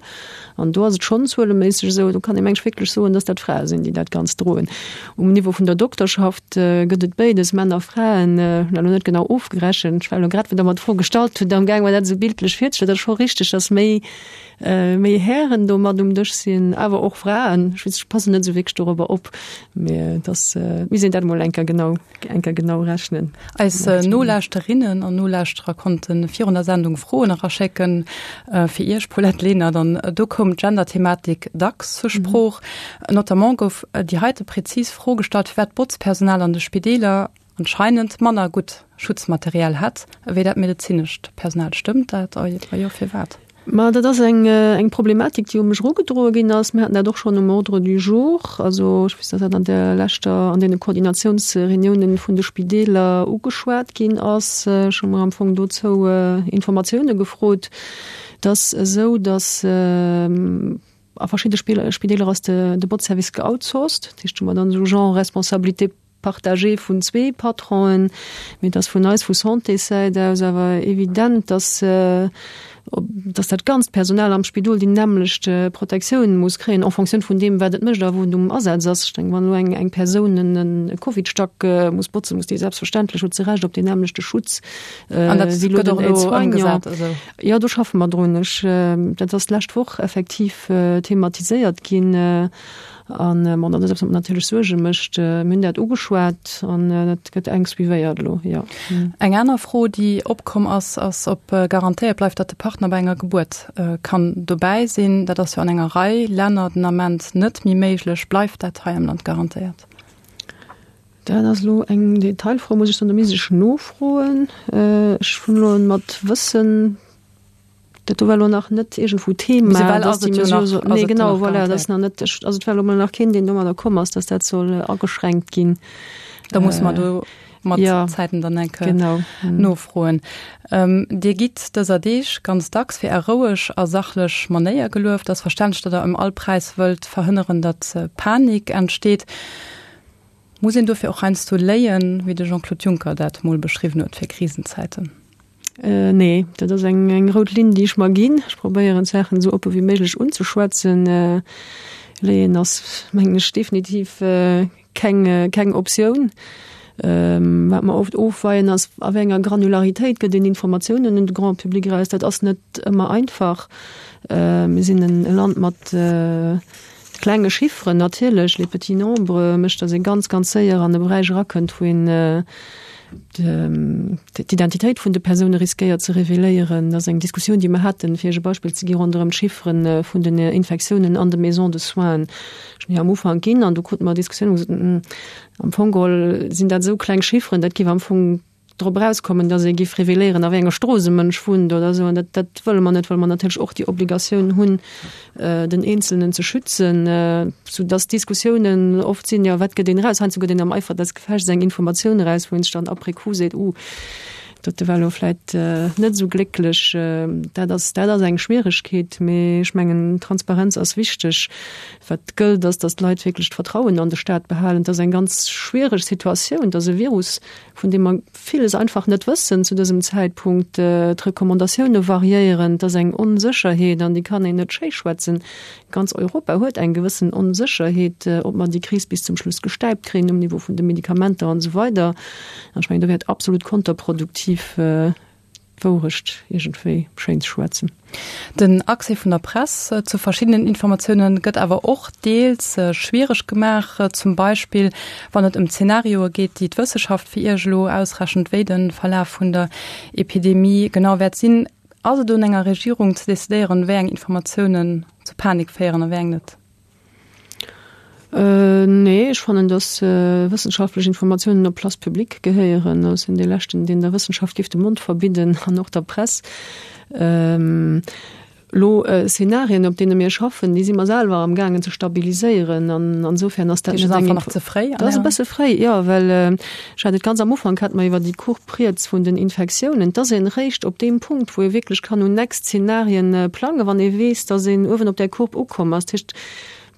An do ass et schonn zueleméisseg esou, do kann ee meng ech wierklech soen, dass dat Frae sinn, déi dat Ganzt droen. Um Niveau vun der Dokterschaft gëtt et béides, Männer a Fraen. Ech hunn dat elo net genau ofgerechent. Ech war elo grad, wou Der mer d'Fro gestallt hutt, amgaang mer dat esou bildlech virzestellen. Et ass scho richteg, dass méi, méi Hären do mat um Dësch sinn, awer och Fraen. Ech weess, ech passen net esou wierklech dorobber op, mee et ass, misst een dat emol eng Kéier genau, eng Kéier genau rechnen. Eis Nolauschterinnen an Nolauschterer konnte virun der Sendung Froen eraschécken fir Iech, Paulette Lenert, an do koum d'Gender-Thematik dacks zur Sprooch. Notamment gouf déi heite präzis Fro gestallt, firwat d'Botzpersonal an de Spideeler anscheinend manner gutt Schutzmaterial hätt ewéi dat medezinescht Personal. Stëmmt dat? A wa jo, firwat? Ma dat ass eng, eng Problematik, déi u mech erugedroe ginn ass. Mir haten dat och schonn um Ordre du jour. Also ech weess, datt dat an der leschter, an deene Koordinatiounsreuniounen vun de Spideeler ugeschwat ginn ass. Ech hu mer am Fong dozou Informatioune gefrot. Et ass esou, datt a verschidde Spideeler ass de, de Botzservice geoutsourced. Dat heescht, hu mer dann esou genre Responsabilité partagée vun zwee Patronen, mee et ass vun eis vu Santéssäit aus awer evident, dass, dass dat ganzt Personal am Spidol déi nämmlecht Protektioun muss kréien en fonction vun deem, wat et mécht a wou et um Asaz ass. Ech denken, wann elo eng, eng Persoun en Covidstack muss botzen, muss déi selbstverständlech, huet se Recht op deen nämmlechte Schutz An dat wéi elo gëtt och den elo Aide-soignant. ëmgesat, also? Jo, do schaffe mer drun. Ech, dat ass d'lescht Woch effektiv thematiséiert ginn. An bon, dat ass eppes, wat mer natierlech Suerge mécht. Mir hunn dat ugeschwat an dat gëtt enk suivéiert elo, jo. Eng aner Fro, déi opkomm ass, ass, ob garantéiert bleift, datt de Partner bei enger Gebuert kann dobäi sinn. Dat ass jo an enger Rei Länner den Ament net méi méiglech. Bleift dat hei am Land garantéiert? Dat ass elo eng Detailfro, muss ech soen. Do misst ech nofroen. Ech hunn elo mat Wëssen, Dat do war elo nach net iergendwou Thema. Bis ewell ass et jo nach, ass nee, et genau, nach voilà, dat ass nach net, also et war elo mol nach keen, deen domadder komm ass, dass dat soll ageschränkt ginn. Da muss mer do mat ja, Zäiten dann eng Kéier genau. nofroen. Ähm, Dir gitt dëser Deeg ganz dacks fir Är roueg a sachlech Manéier gelueft. Ass verständlech, datt Der ëm all Präis wëllt verhënneren, datt Panik entsteet. Muss een dofir och heiansdo léien, wéi de Jean-Claude Juncker dat mol beschriwwen huet fir Krisenzäiten? Nee, dat ass eng, eng rout Linn, déi ech mer ginn. Ech probéieren d'Saachen esou oppe wéi méiglech unzeschwätzen. Léien ass, mengen ech, definitiv keng, keng Optioun. Wat mer oft ofweien ass, a wéi enger Granularitéit gëtt een Informatiounen un de Grand public eraus. Dat ass net ëmmer einfach. Mir sinn en Land mat klenge Chifferen natierlech, les petits nombres, mécht, datt ee ganz, ganz séier an e Beräich erakënnt, wou een. d'Identitéit vun de Persoune riskéiert ze reveléieren. Dat ass eng Diskussioun, déi mer haten, fir Iech e Beispill ze gi ronderëm d'Chiffere vun den Infektiounen an de Maisons de soins schon hir am Ufank ginn. An do krute mer Diskussioun, wou gesot, Am Fong geholl sinn dat esou kleng Chifferen, dat géif am Fong drop erauskommen, datt ee géif reveléieren, a wéi enger Strooss e Mënsch wunnt oder esou. An dat, dat wëlle mer net, well mer natierlech och déi Obligatioun hunn, den Eenzelnen ze schützen, soudatt d'Diskussiounen oft sinn, jo, wat gëtt een eraus? Heiansdo gëtt een am Eifer des Gefechts eng Informatioun eraus, wou een sech dann après coup seet, Uh, dote war elo vläit net esou glécklech. Dat ass, dat ass eng Schwieregkeet, mee ech mengen, Transparenz ass wichteg. Wat gëllt, ass, datt d'Leit wierklech d'Vertrauen an de Staat behalen. Et ass eng ganz schwiereg Situatioun, et ass e Virus, vun deem mer villes einfach net wëssen zu dësem Zäitpunkt. D'Recommandatioune variéieren, et ass eng Onsécherheet an déi kann een net schéischwätzen. Ganz Europa huet eng gewëssen Onsécherheet, ob mer déi Kris bis zum Schluss gestäipt kréien um Niveau vun de Medikamenter an esou weider. An ech mengen, do wär et absolut konterproduktiv, d'Wourecht iergendwéi schéin ze schwätzen. Den Accès vun der Press zu verschiddenen Informatioune gëtt awer och deels schwiereg gemaach, zum Beispill wann et ëm Zenarioe geet, déi d'Wësseschaft fir Iech elo ausrechent, wéi de Verlaf vun der Epidemie genau wäert sinn. Ass et un enger Regierung ze decidéieren, wéi eng Informatiounen zu Panik féieren a wéi eng net? Nee, ech fannen, datt wëssenschaftlech Informatiounen op d'Place publique gehéieren. Ech sinn dee Leschten, deen der Wëssenschaft géif de Mond verbidden an och der Press. Elo Szenarien, op deene mir schaffen, déi si mer selwer am gaangen ze stabiliséieren an insofern ass dat net eng. Nach ze fréi? Dat ass e bësse fréi, jo, well ech hat et ganz am Ufank hate mer iwwer déi Courbe riets vun den Infektiounen. Et ass een eréischt op deem Punkt, wou ee wierklech kann un next Szenarien plangen, wann ee weess, datt een uewen op där Courbe ukomm ass. Dat heescht,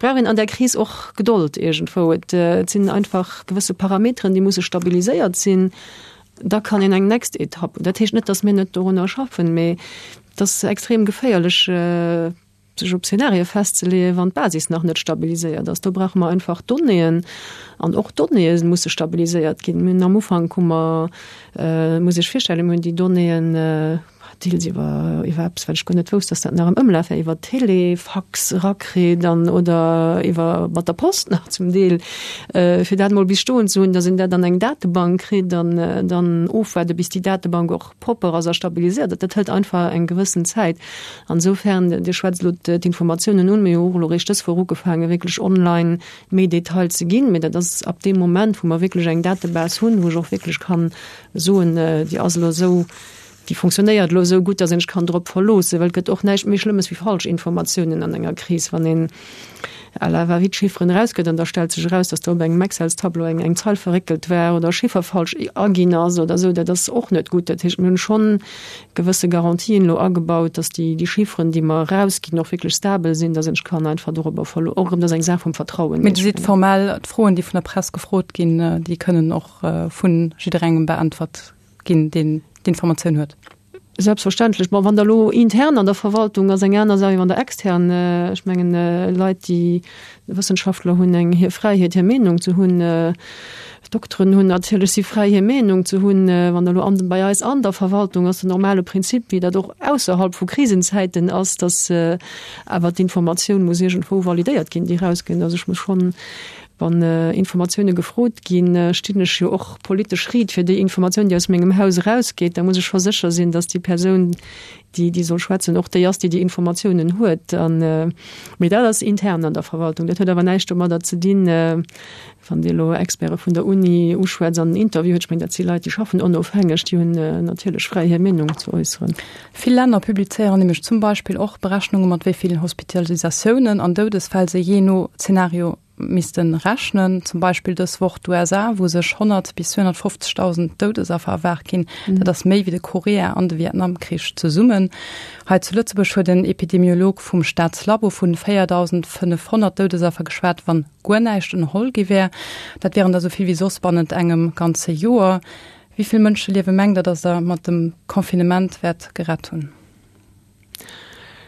brauch een an där Kris och Gedold iergendwou. Et sinn einfach gewësse Parameteren, déi musse stabiliséiert sinn. Da kann een eng next Etapp. Dat heescht net, datt mir net dorunner schaffen, mee et ass extrem geféierlech, sech op Zenarie festzeleeën, wann d'Basis nach net stabiliséiert ass. Do brauche mer einfach Donnéeën an och d'Donnéeë musse stabiliséiert ginn. Mir hunn am Ufank hu mer, muss Iech virstellen, mir hunn déi Donnéeën, deels iwwer iwwer eppes, wat ech guer net wousst, dass dat nach am Ëmlaf war, iwwer Telefax erakritt an oder iwwer mat der Post nach zum Deel, fir dat emol bis stoen ze hunn, dass een dat an eng Datebank kritt an dann ofwaarde bis déi Datebank och propper ass a stabiliséiert ass. Dat hëlt einfach eng gewëssen Zäit. An esoufern, Dir schwätzt elo d'Informatiounen un, mir hu och elo eréischt dës Woch ugefaangen, wierklech online méi Detail ze ginn, mee dat ass ab deem Moment, wou mer wierklech eng Datebase hunn, wou ech och wierklech kann soen, déi ass elo esou, déi fonctionnéiert elo esou gutt, datt een sech kann drop verloossen, well et gëtt och näischt méi Schlëmmes wéi falsch Informatiounen an enger Kris, wann een à la va-vite Chifferen erausgëtt an da stellt sech eraus, datt do op engem Excels-Tableau eng eng Zeil verréckelt war oder e Chiffer falsch aginn ass oder esou, dat ass och net gutt. Dat heescht, mir hunn schonn gewësse Garantien elo agebaut, datt déi déi Chifferen, déi mer erausginn, och wierklech stabel sinn, datt een sech kann einfach dorobber verlo-, och erëm, dat ass eng Saach vum Vertrauen. Mee Dir sidd formell, d'Froen, déi vun der Press gefrot ginn, déi kënnen och vu jidderengem beäntwert ginn, deen d'Informatioun huet. Selbstverständlech. Bon, wann Der elo intern an der Verwaltung ass eng aner Saach wéi wann Der extern, ech mengen, Leit, déi, Wëssenschaftler hunn eng hir Fräiheet hir Meenung ze hunn, Dokteren hunn natierlech si fräi hir Meenung ze hunn. Wann Der elo an bei eis an der Verwaltung ass den normale Prinzip, wéi dat och ausserhalb vu Krisenzäiten ass, datt awer d'Informatioun muss iergendwou validéiert ginn, déi erausgëtt. Also ech muss schonn Wann Informatioune gefrot ginn, stinn ech jo och politesch Ried fir déi Informatioun, déi aus mengem Haus erausgeet. Da muss ech scho sécher sinn, datt déi Persoun, déi déi soll schwätzen, och déi ass, déi déi Informatiounen huet. An, mee dat ass intern an der Verwaltung. Dat huet awer näischt domadder ze dinn, wann Dir elo Experte vun der Uni uschwätzt an en Interview huet. Ech mengen, dat si Leit, déi schaffen onofhängeg, déi hunn natierlech fräi hir Meenung ze äusseren. Vill Länner publizéieren nämlech zum Beispill och Berechnunge mat wéi vill Hospitalisatiounen an Doudesfäll se jee no Zenario misste rechnen. Zum Beispill dës Woch d'USA, wou sech 100 bis 250.000 Doudesaffer erwaart ginn. Dat ass méi wéi de Korea an de Vietnamkrich zesummen. Hei zu Lëtzebuerg huet en Epidemiolog vum Staatslabo vun 4.500 Doudesaffer geschwat, wann guer näischt ënnerholl gi wär. Dat wieren der esou vill wéi soss bannent engem ganze Joer. Wéi vill Mënscheliewe mengt Der, datt Der mat dem Confinement wäert gerett hunn?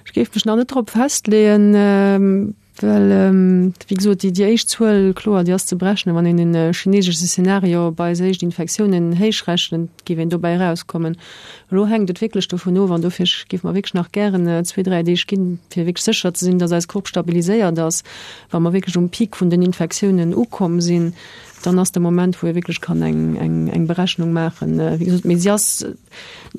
Ech géif mech nach net drop festleeën, well, wéi gesot, déi éischt Zuel, kloer, déi ass ze berechnen. Wann een e chinesesche Szenario op eis éischt Infektiounen héichrechent, géif een dobäi erauskommen. Elo hänkt et wierklech dovun of, an dofir géife mer wierklech nach gären zwee, dräi Deeg ginn, fir wierklech sécher ze sinn, datt eis Courbe stabiliséiert ass, wa mer wierklech um Peak vun den Infektiounen ukomm sinn. Dann ass de Moment, wou ee wierklech kann eng, eng, eng Berechnung maachen. Wéi gesot, mee si ass,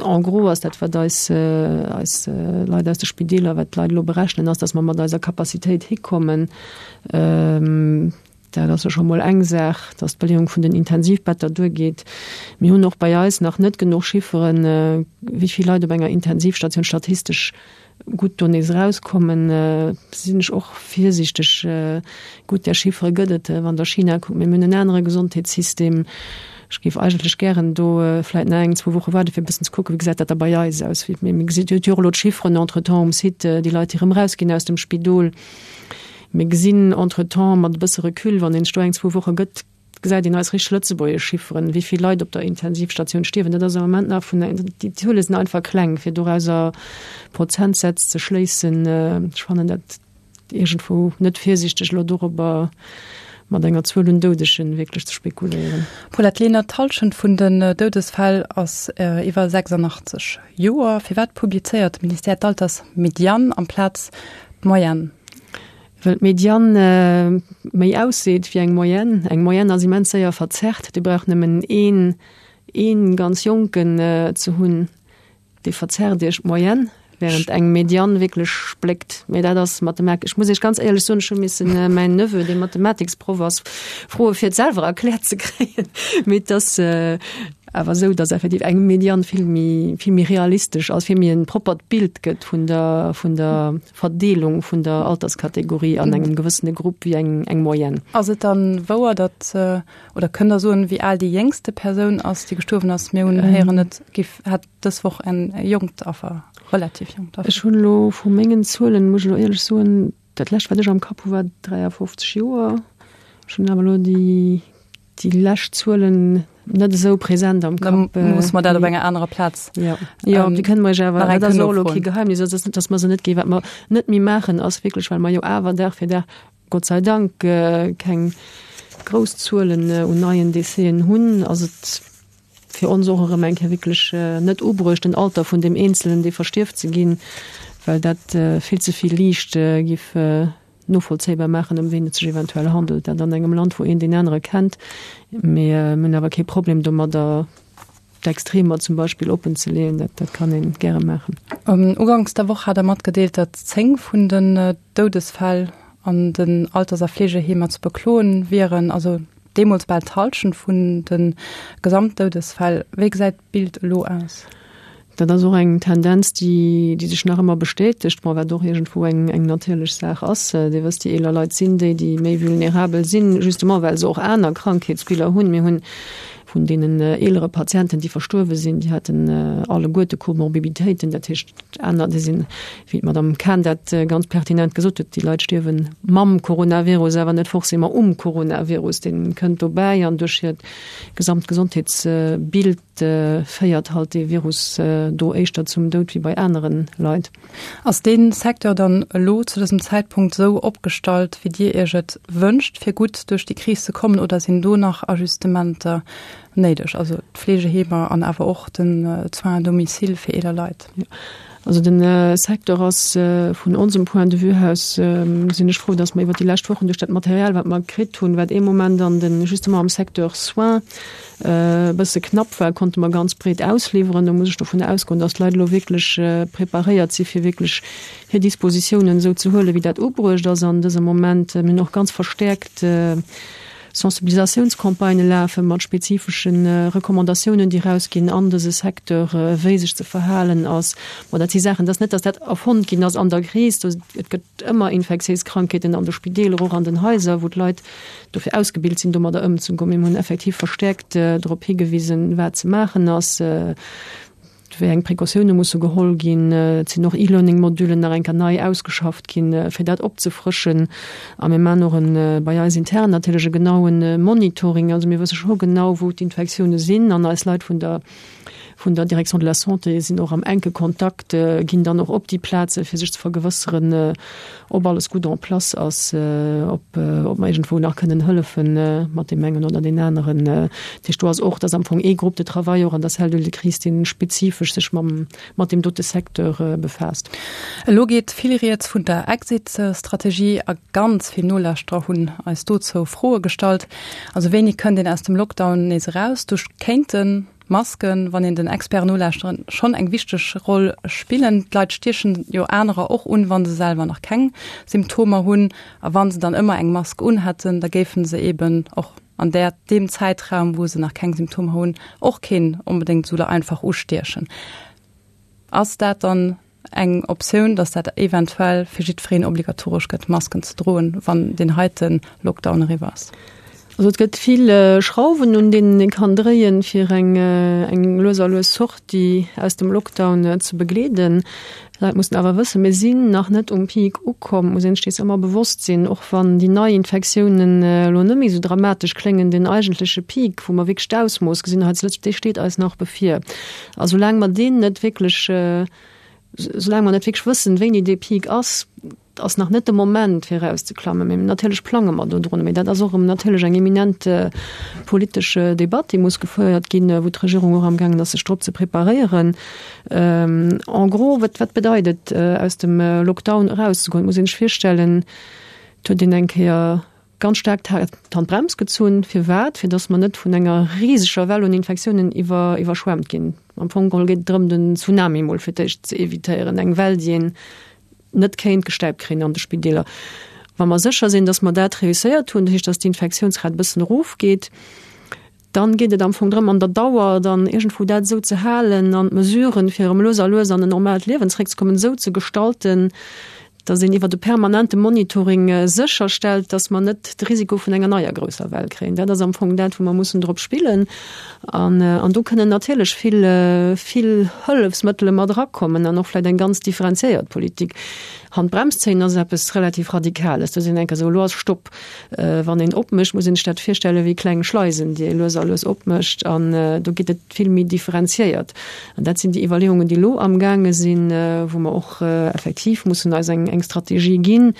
en gros ass dat, wat eis, eis Leit aus de Spideeler, wat d'Leit elo berechnen, ass, datt mer mat eiser Capacitéit hikommen. Dat ass jo scho mol eng Saach, datt d'Beleeung vun den Intensivbetter duergeet. Mir hunn och bei eis nach net genuch Chifferen, wéi vill Leit op enger Intensivstatioun statistesch gutt do nees erauskommen, sinn ech och virsiichteg. Gutt, där Chiffere gëtt et, wann Der China kuckt, mee mir hunn en anere Gesondheetssystem. Ech géif eigentlech gären do vläicht nach eng, zwou Woche waarden, fir e bëssen ze kucken, wéi gesäit dat da bei eis aus. Mee mir gesi jo och elo d'Chifferen entretemps um Site, déi Leit, déi erëm erausginn aus dem Spidol. Mir gesinn entretemps mat e bësse Recul, wann een sech do eng, zwou Woche gëtt, gesäit een eis richteg lëtzebuergesch Chifferen, wéi vill Leit op der Intensivstatioun stierwen. Dat ass am Moment nach vun, déi Zuele sinn einfach kleng, fir dorauser Prozentsätz ze schléissen. Ech fannen dat iergendwou net virsiichteg, elo dorobber mat enger Zuel un Doudegen wierklech ze spekuléieren. Paulette Lenert, D'Hallschent vun den Doudesfäll ass iwwer 86 Joer. Firwat publizéiert de Ministère d'Altersmedian amplaz d'Moyenne? Well d'Mediane méi ausseet wéi eng Moyenne. Eng Moyenne ass immens séier verzerrt. Dir braucht nëmmen een, ee ganz Jonken ze hunn, dee verzerrt Iech d'Moyenne, während eng Mediane wierklech spléckt. Mee dat ass Mathematik. Ech muss Iech ganz éierlech soen, ech hu missen mäin Neveu, dee Mathematiksproff ass, froe fir et selwer erkläert ze kréien. Mee et ass awer esou, datt effektiv eng Mediane vill méi, vill méi realistesch ass, vill méi e proppert Bild gëtt vun der, vun der Verdeelung vun der Alterskategorie an engem gewëssene Grupp wéi eng eng Moyenne. Ass et dann wouer, datt, oder kënnt Der soen, wéi al déi jéngste Persoun ass, déi gestuerwen ass? Mir hunn héieren, et giff, hätt dës Woch en jonkt Affer, relativ jonkt Affer. Ech hunn elo vu mengen Zuelen, muss ech elo éierlech soen, dat lescht wat ech am Kapp hu war 53 Joer. Ech hunn awer elo déi Déi lescht Zuelen net esou präsent am Kapp. Da muss mer dat op enger anerer Plaz. Ja, ja ähm, déi kënne mer awer dat ass och elo kee Geheimnis, also net, datt mer se net ginn. Wat mer net méi maachen, ass wierklech, well mer jo awer Dag fir Dag, Gott sei Dank, äh, keng grouss Zuelen äh, un neien Décèsen hunn, ass et fir ons och erëm eng Kéier wierklech äh, net ubruecht, den Alter vun deem Eenzelen, dee verstierft, ze ginn, well dat äh, vill ze vill Liicht äh, giff äh, novollzéibar maachen, ëm ween et sech eventuell handelt. Dat an engem Land, wou een deen anere kennt. Mee mir hunn awer kee Problem domadder, d'Extremer zum Beispill oppen ze leeën. Dat, dat kann ee gäre maachen. Uganks der Woch hat Der matgedeelt, datt 10 vun den Doudesfäll an den Alters a Fleegeheemer ze bekloen wieren, also deemools bal d'Hallschent vun de Gesamtdoudesfäll. Wéi gesäit d'Bild elo aus? Dat ass och eng Tendenz, déi, déi sech nach ëmmer bestätegt, bon, wat och iergendwou eng, eng natierlech Saach ass. Dir wësst, déi eeler Leit sinn déi, déi méi vulnerabel sinn, justement well se och aner Krankheetsbiller hunn. Mir hunn vun deenen eelere Patienten, déi verstuerwe sinn, déi haten alleguerte Komorbiditéiten, dat heescht aner, déi sinn, wéi d'Madame Cahen dat ganz pertinent gesot huet, déi Leit stierwe mam Coronavirus, awer net forcément um Coronavirus. Dee kënnt dobäi an duerch hiert gesamt Gesondheetsbild féiert halt dee Virus do éischter zum Doud wéi bei anere Leit. Ass dee Secteur dann elo zu dësem Zäitpunkt esou opgestallt, wéi Dir Iech et wënscht, fir gutt duerch déi Kris ze kommen, oder sinn do nach Ajustementer néideg, also d'Fleegeheemer an awer och den Soins à domicile fir eeler Leit? Also de Secteur ass vun onsem Point de vue aus, sinn ech frou, datt mer iwwert déi lescht Wochen duerch dat Material, wat mer kritt hunn, wat ee Moment an de justement am Secteur Soins e bësse knapp war, konnte mer ganz breet ausliwweren. Do muss ech dovun ausgoen, datt d'Leit elo wierklech preparéiert si fir wierklech hir Dispositiounen esou ze huelen, wéi dat ubruecht ass an dësem Moment. Mir hunn och ganz verstäerkt Sensibilisatiounscampagnë lafe mat spezifesche Recommandatiounen, déi erausginn an dëse Secteur, wéi sech ze verhalen ass. Bon, dat si Saachen, et ass net, datt dat erfonnt ginn ass an der Kris. Et gëtt ëmmer infektiéis Krankheeten an de Spideeler, och an den Haiser, wou d'Leit dofir ausgebilt sinn, domadder ëmzegoen. Mir hunn effektiv verstäerkt drop higewisen, wat ze maachen ass, wéi eng Precautioune musse geholl ginn. Et sinn och E-Learning-Modullen nach eng Kéier nei ausgeschafft ginn, fir dat opzefrëschen. A mir maachen och e bei eis intern natierlech e genaue Monitoring. Also mir wësse scho genau, wou d'Infektioune sinn an eis Leit vun der. Vun der Direction de la Santé sinn och am enke Kontakt, ginn dann och op déi Plaze fir sech ze vergewësseren, ob alles gutt en place ass, ob ob mer iergendwou nach kënnen hëllefen mat deem engen oder deen aneren. Dat heescht, do ass och, dat ass am Fong ee Groupe de travail och an der Cellule de crise, dee spezifesch sech mam mat deem dote Secteur befaasst. Elo geet vill Rieds vun der Exit-Strategie a ganz vill Nolauschterer hunn eis dozou Froe gestallt. Also wéini kënnt een aus dem Lockdown nees eraus? Do kéinten Masken, wann een den Experten nolauschteren, schonn eng wichteg Roll spillen. D'Leit stiechen jo anerer och un, wa se selwer nach keng Symptomer hunn. A wa se dann ëmmer eng Mask unhätten, da géife se eeben och an där deem Zäitraum, wou se nach keng Symptomer hunn, och keen onbedéngt esou einfach ustiechen. Ass dat dann eng Optioun, dass dat eventuell fir jiddwereen obligatoresch gëtt, Masken ze droen, wann deen heite Lockdown eriwwer ass? Also et gëtt vill Schrauwen, un deenen ee kann dréien, fir eng eng lues a lues Sortie aus dem Lockdown ze begleeden. D'Leit mussen awer wëssen, mir sinn nach net um Peak ukomm, muss een sech dees ëmmer bewosst sinn, och wann déi nei Infektiounen elo net méi esou dramatesch kléngen, den eigentleche Peak, wou mer wierklech d'Ausmooss gesinn hei zu Lëtzebuerg, dee steet eis nach bevir. A soulaang mer deen net wierklech, soulaang mer net wierklech wëssen, wéini dee Peak ass, ass nach net de Moment fir erauszeklammen. Mee natierlech plange mer dodrun. Mee dat ass och erëm natierlech eng eminent politesch Debatt, déi muss gefouert ginn, wou d'Regierung och amgaangen ass, sech drop ze preparéieren. En gros, wat, wat bedeit et, aus dem Lockdown erauszegoen? Et muss ee sech virstellen, et huet een eng Kéier ganz staark d'Handbrems gezunn. Firwat? Fir datt mer net vun enger riseger Well un Infektiounen iwwer, iwwerschwemmt ginn. Am Fong geholl geet et drëm, den Tsunami mol fir d'éischt ze evitéieren, eng Well, déi een net kéint gestäipt kréien an de Spideeler. Wa mer sécher sinn, datt mer dat reusséiert hunn, dat heescht, datt d'Infektiounsrat e bëssen erofgeet, dann geet et am Fong drëm, an der Dauer dann iergendwou dat esou ze halen an d'Mesuren, fir erëm lues a lues an en normaalt Liewen zeréckzekommen, esou ze gestalten, datt een iwwert e permanente Monitoring sécherstellt, datt mer net de Risiko vun enger neier grousser Well kréien. Dat ass am Fong dat, wou mer mussen drop spillen. An, an do kënnen natierlech vill, vill Hëllefsmëttele mat erakommen an och vläicht eng ganz differenziéiert Politik. Handbrems zéien ass eppes relativ Radikales. Do sinn enker esou, elo ass Stopp. Wann een opmécht, muss een sech dat virstelle wéi kleng Schleisen, déi ee lues a lues opmécht. An do geet et vill méi differenziéiert. An dat sinn déi Iwwerleeungen, déi elo amgaange sinn, wou mer och effektiv mussen eis eng Strategie ginn,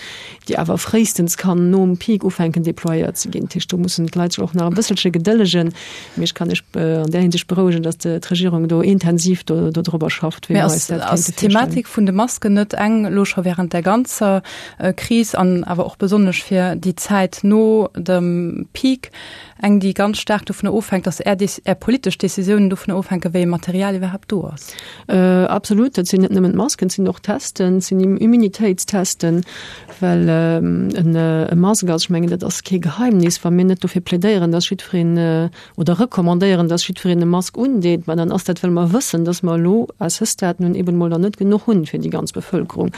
déi awer fréistens kann nom Peak ufänken déployéiert ze ginn. Dat heescht, do mussen d'Leit sech och nach e bësselche gedëllegen. Mee ech kann Iech an där Hinsicht berouegen, datt d'Regierung do intensiv dodrobber schafft, wéi mer eis dat kéinte virstellen. Ass d'Thematik vun de Masken net eng elo scho während der ganzer Kris an awer och besonnesch fir déi Zäit no dem Peak eng, déi ganz staark dovunner ofhänkt, datt Är, Är politesch Decisiounen dovunner ofhänken, wéi ee Material iwwerhaapt do ass? Absolut. Dat sinn net nëmmen d'Masken, et sinn och d'Testen, et sinn Immunitéitstesten, well e Mask ass, ech mengen, dat ass kee Geheimnis, wa mir net dofir plädéieren, datt jiddwereen oder recommandéieren, dass jiddwereen e Mask undeet, ma dann ass dat, well mer wëssen, dass mer elo à ce stade nun eben emol der net genuch hunn fir déi ganz Bevëlkerung.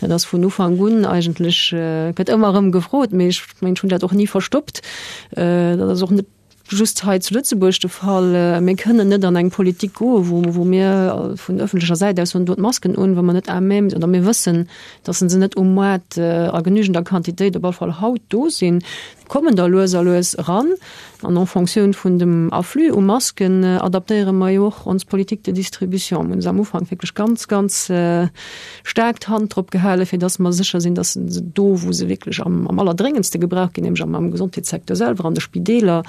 Dat ass vun Ufank un eigentlech, gëtt ëmmer erëm gefrot, mee ech mengen, ech hunn dat och ni verstoppt, dat ass och net just hei zu Lëtzebuerg de Fall. Mir kënnen net an eng Politik goen, wou, wou mir vun öffentlecher Säit aus soen, dot d'Masken un, wa mer net à même oder mir wëssen, dass se net um Moart a genügender Quantitéit op alle Fall haut do sinn. Kommen der lues a lues eran. An en Fonctioun vun dem Afflux u Masken adaptéiere mer jo och ons Politique de distribution. Mir hunn se am Ufank wierklech ganz, ganz staark d'Hand drop gehalen, fir dass mer sécher sinn, dass se do, wou se wierklech am allerdréngendste gebraucht ginn, nämlech am Gesondheetssecteur selwer, an de Spideeler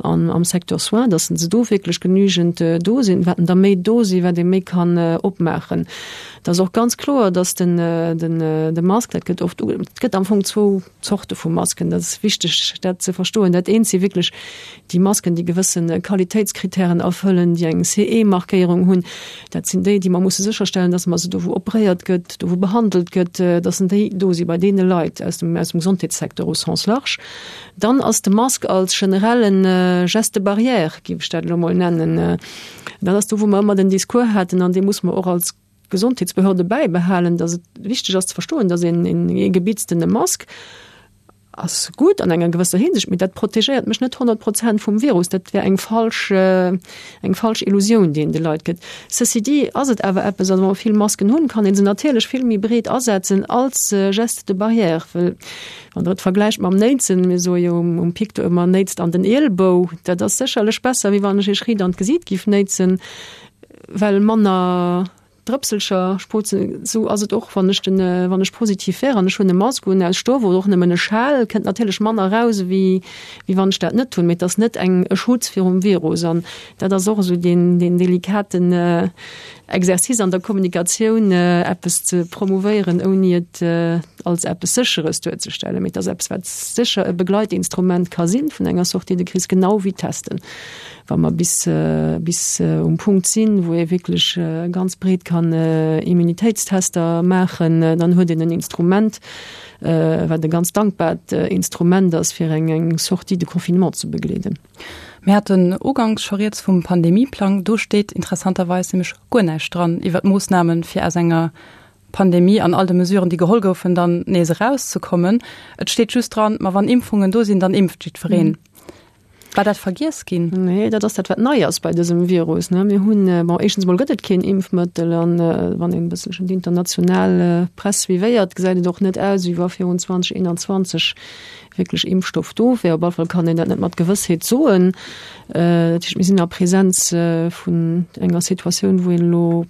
an am Secteur soins, dass se do wierklech genügend do sinn. Wat der méi do sinn, wat ee méi kann opmaachen. Et ass och ganz kloer, dass den, den, de Mask, dat gëtt oft, et gëtt am Fong zwou Zorte vu Masken, dat ass wichteg dat ze verstoen. Dat eent si wierklech déi Masken, déi gewësse Qualitéitskritären erfëllen, déi eng CE-Markéierung hunn. Dat sinn déi, déi mer musse sécherstellen, dass mer se do wou operéiert gëtt, do wou behandelt gëtt, dass déi do si bei deene Leit aus dem, aus dem Gesondheetssecteur au sens large. Dann ass de Mask als generelle Geste barrière, géif ech dat elo mol nennen, dat ass do wou mer ëmmer den Discours haten an dee muss mer och als Gesondheetsbehörde bäibehalen, datt et wichteg ass ze verstoen, datt een ee gebitztene Mask ass gutt an enger gewësser Hinsicht, mee dat protegéiert mech net 100 Prozent vum Virus. Dat wär eng falsch, eng falsch Illusioun, déi een de Leit gëtt. Ceci dit ass et awer eppes, also wa mer vill Masken hunn, kann ee se natierlech vill méi breet asetzen als Geste de barrière, well wann Der et vergläicht mam Néitsen, mir soe jo um Pic do ëmmer, néitst an den Ielbou, dat ass sécherlech besser, wéi wann ech Iech riit an d'Gesiit giff néitsen. well manner Drëpselcher sprotzen. Esou ass et och, wann ech den, wann ech positiv wär an ech hunn e Mask un aus Stoff oder och nëmmen e Schal, kënnt natierlech manner eraus ewéi wéi wann ech dat net hunn. Mee et ass net eng e Schutz virum Virus. An dat ass och esou deen, deen delikaten Exercice an der Kommunikatioun, eppes ze promouvéieren, ouni et als eppes Sécheres duerzestellen. Mee et ass eppes, wat sécher e Begleitinstrument ka sinn vun enger Sortie de crise, genau wéi d'Testen. Wa mer bis, bis um Punkt sinn, wou ee wierklech ganz breet kann Immunitéitstester maachen, dann huet een en Instrument, wat e ganz dankbart Instrument ass, fir eng, eng Sortie de confinement ze begleeden. Mir haten uganks scho rieds vum Pandemieplang. Do steet interessanterweis nämlech guer näischt dran iwwer d'Moossnamen, fir aus enger Pandemie an all de Mesuren, déi geholl goufen, dann nees erauszekommen. Et steet just dran, ma wann Impfungen do sinn, dann impft jiddwereen. War dat vergiess ginn? Nee, dat ass dat, wat nei ass bei dësem Virus. Mir hunn, bon, éischtens emol gëtt et keen Impfmëttel an wann een e bësselchen déi international Press suivéiert, gesäit et och net aus, wéi wa virun 2021 wierklech Impfstoff do wär. Op alle Fall kann een dat net mat Gewëssheet soen. Dat heescht, mir sinn a Presenz vun enger Situatioun, wou een elo,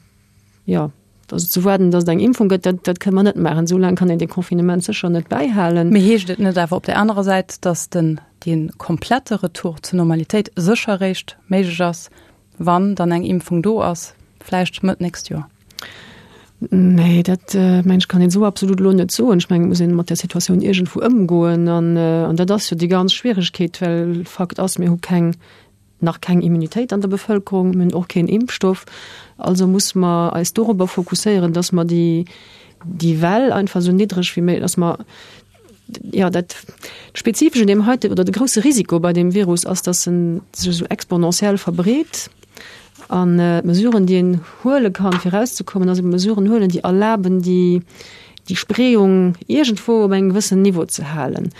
jo, also ze waarden, datt et eng Impfung gëtt, dat, dat kënne mer net maachen. Esou laang kann een dee Confinement sécher net bäihalen. Mee heescht et net awer op där anerer Säit, datt den, dee komplette Retour zur Normalitéit sécher eréischt méiglech ass, wann dann eng Impfung do ass, vläicht Mëtt nächst Joer? Nee, dat mengen ech kann een esou absolut elo net soen. Ech mengen, et muss een mat där Situatioun iergendwou ëmgoen an, an dat ass jo déi ganz Schwieregkeet, well Fakt ass, mir hu keng, nach keng Immunitéit an der Bevëlkerung, mir hunn och keen Impfstoff. Also muss mer eis dorobber fokusséieren, dass mer déi, déi Well einfach esou niddreg wéi méiglech, dass mer, jo, dat Spezifescht un deem heite oder de grousse Risiko bei deem Virus ass, dass en sech esou exponentiell verbreet. An d'Mesuren, déi een huele kann, fir erauszekommen, ass ebe Mesuren huelen, déi erlaben, déi, déi Spreeung iergendwou op engem gewëssenen Niveau ze halen.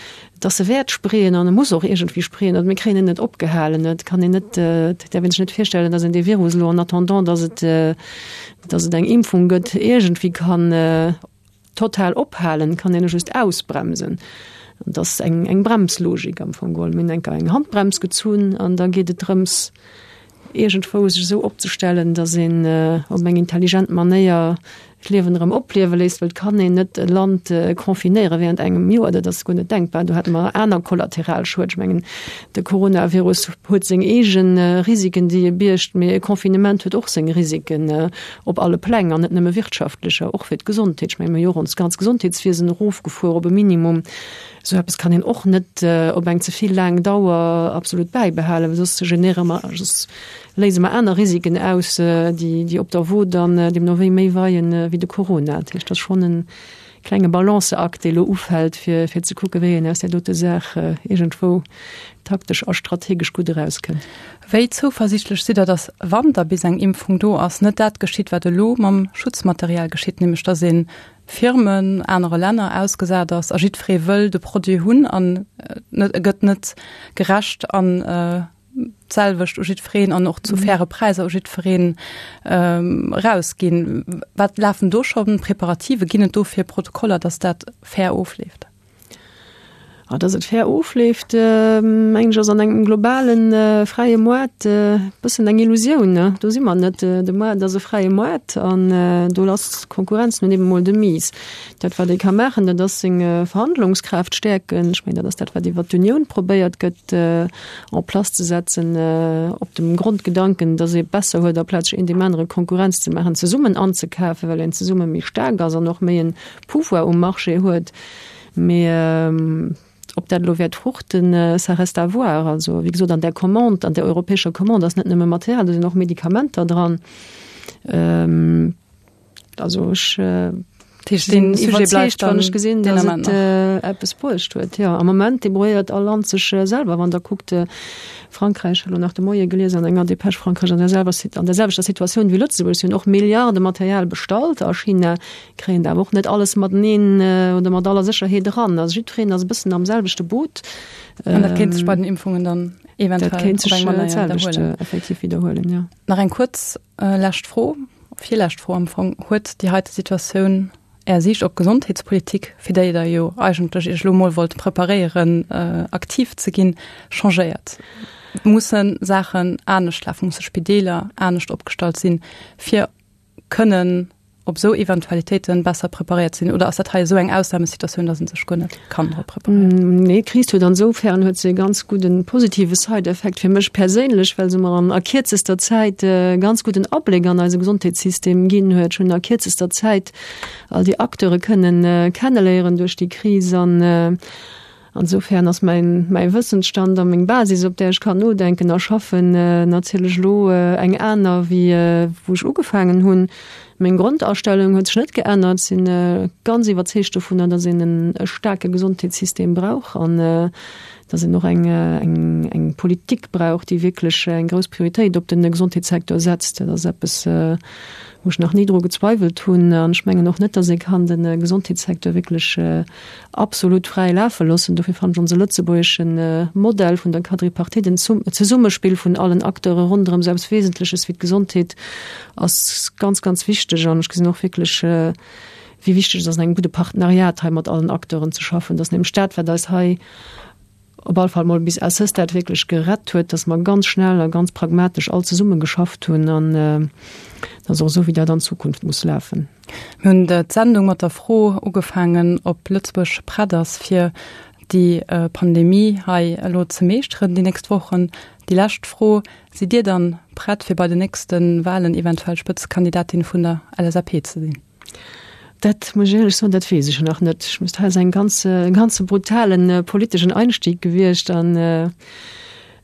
Dass e wäert spreeën an e muss och iergendwéi spreeën, also mir kréien en net opgehalen. Et kann een net, et däerf ee sech net virstellen, dass een dee Virus elo en attendant, dass et, dass et eng Impfung gëtt, iergendwéi kann total ophalen, kann een e just ausbremsen. An dat ass eng, eng Bremslogik am Fong geholl. Mir hunn eng Kéier eng Handbrems gezunn an da geet et drëms, iergendwou sech esou opzestellen, datt een op eng intelligent Manéier d'Liewen erëm opliewe léisst, well et kann een net e Land confinéiere während engem Joer, dat ass guer net denkbar. Do hätte mer aner Kollateralschued. Ech mengen, de Coronavirus huet seng eege Risiken, déi e biergt, mee e Confinement huet och seng Risiken op alle Pläng an net nëmme wirtschaftlecher, och fir d'Gesondheet. Ech mengen, mir hu jo och ons ganz Gesondheetswiesen erofgefuer op e Minimum. Esou eppes kann een och net op eng ze vill laang Dauer absolut bäibehalen, well soss généiere mer, soss léise mer aner Risiken aus, déi, déi op der Wo dann deemno wéi méi weien wéi de Corona. Dat heescht, dat ass schonn e klenge Balanceakt, dee elo ufält, fir, fir ze kucken, wéi een aus där dote Saach iergendwou taktesch a strategesch gutt erauskënnt. Wéi zouversiichtlech sidd Der, datt, wann da bis eng Impfung do ass, net dat geschitt, wat elo mam Schutzmaterial geschitt, nämlech datt ee Firmen anere Länner ausgesat ass a jiddweree wëll de Produit hunn an et gëtt net gerecht an d'selwecht u jiddwereen an och zu faire Präisser u jiddwereen erausginn. Wat lafen do scho Preparative? Ginn et dofir Protokoller, datt dat fair ofleeft? Ah, dass et fair ofleeft, mengen ech, ass an engem globalen fräie Moart e bëssen eng Illusioun, ne? Do si mer net. De Moart ass e fräie Moart an do ass d'Konkurrenz nun eben emol de Mise. Dat, wat ee ka maachen, dat ass seng Verhandlungskraaft stäerken. Ech mengen, dat ass dat, wat iwwert d'Unioun probéiert gëtt en place ze setzen, op dem Grondgedanken, dass ee besser huet, aplaz sech een deem anere Konkurrenz ze maachen, zesummen anzekafen, well een zesumme méi staark ass an och méi en Pouvoir um Marché huet. Mee ob dat elo wäert fruchten, ça reste à voir. Also, wéi gesot, an där Commande, an där europäescher Commande ass net nëmme Material, do sinn och Medikamenter dran. Also ech sinn iwwerzeegt, wann ech gesinn, datt et eppes bruecht huet. Jo, am Moment debrouilléiert all Land sech selwer. Wann Der kuckt, Frankräich, elo nach de Moie gelies an enger Dépêche, Frankräich an der an der selwechter Situatioun wéi Lëtzebuerg, si hunn och Milliarde Material bestallt a China. Kréien awer och net alles mateneen oder mat aller Sécherheet eran. Also jiddwereen ass e bëssen am selwechte Boot. An dat kéint sech bei den Impfungen dann eventuell dat kéint sech dat selwecht effektiv widderhuelen, jo. Nach eng kuerz lescht Fro, virlescht Fro am Fong, Huet déi heite Situatioun Är Siicht op d'Gesondheetspolitik, fir déi Der jo eigentlech Iech elo mol wollt preparéieren, aktiv ze ginn, changéiert? Musse Saachen anescht lafen, musse Spideeler anescht opgestallt sinn, fir kënnen op esou Eventualitéiten besser preparéiert ze sinn? Oder ass dat hei esou eng Ausnamesituatioun, datt ee sech guer net kann drop preparéieren? Nee, d'Kris huet ansoufern huet se e ganz gudden positive Side-Effekt fir mech perséinlech, well se mer an a kierzester Zäit e ganz gudden Abléck an eise Gesondheetssystem ginn huet. Ech hunn a kierzester Zäit all déi Acteure kënnen kenneléieren duerch déi Kris an Ansoufern ass mäin, mäi Wëssensstand a meng Basis, op där ech kann nodenken a schaffen, natierlech elo eng aner, wéi wou ech ugefaangen hunn. Meng Grondastellung huet sech net geännert. Ech sinn ganz iwwerzeegt dovunner, datt een e staarke Gesondheetssystem brauch an datt een och eng, eng, eng Politik brauch, déi wierklech eng grouss Prioritéit op de Gesondheetssecteur setzt. Dat ass eppes, wou ech nach ni dru gezweiwelt hunn. An ech mengen och net, datt ee kann de Gesondheetssecteur wierklech absolut fräi lafe loossen. Dofir fannen ech onse lëtzebuergesche Modell vun der Quadripartite, den Zesummespill vun allen Acteure ronderëm esou eppes Wesentleches wéi d'Gesondheet, ass ganz, ganz wichteg. An ech gesinn och wierklech, wéi wichteg et ass, an engem gudde Partenariat hei mat allen Acteuren ze schaffen. Dat ass nämlech dat, wat eis hei op all Fall mol bis à ce stade wierklech gerett huet, dass mer ganz schnell a ganz pragmatesch all zesumme geschafft hunn. An dat ass och esou, wéi dat an Zukunft muss lafen. Mir hunn d'Sendung mat der Fro ugefaangen, ob Lëtzebuerg prett ass, fir déi Pandemie hei elo ze meeschteren déi nächst Wochen. Déi lescht Fro, Sidd Dir dann prett, fir bei den nächste Walen eventuell Spëtzekandidatin vun der LSAP ze sinn? Dat muss ech éierlech soen, dat weess ech nach net. Ech muss, dat ass eng ganz, e ganze brutalen politeschen Einstieg gewiescht an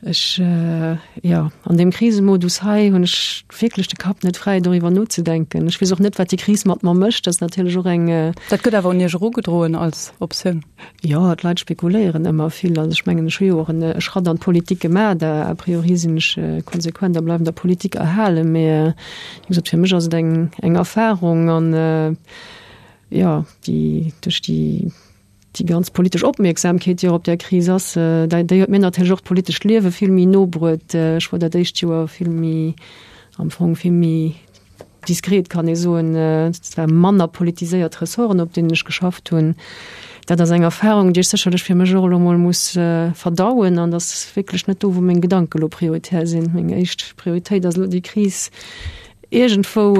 ech, jo, an deem Krisemodus hei hunn ech wierklech de Kapp net fräi doriwwer nozedenken. Ech weess och net, wat déi Kris mat mer mécht. Dat ass natierlech och eng. Dat gëtt awer un Iech erugedroen als Optioun. Jo, d'Leit spekuléieren ëmmer vill. Also ech mengen, ech hu jo och en Schratt an d'Politik gemaach. A priori sinn ech konsequent a bleiwen der Politik erhalen. Mee Wéi gesot, fir mech ass et eng, eng Erfahrung an jo, déi duerch déi, déi ganz politesch Opmierksamkeet, déi och op där Kris ass, déi, déi huet mir natierlech och d'politescht Liewe vill méi no bruet. Ech wor dat éischt Joer vill méi, am Fong vill méi diskret, kann ee soen. Et ware manner politiséiert Ressorten, op deenen ech geschafft hunn. Dat ass eng Erfahrung, déi ech sécherlech fir mech och elo mol muss verdauen an dat ass wierklech net do, wou meng Gedanke elo prioritär sinn. Meng éischt Prioritéit ass elo déi Kris iergendwou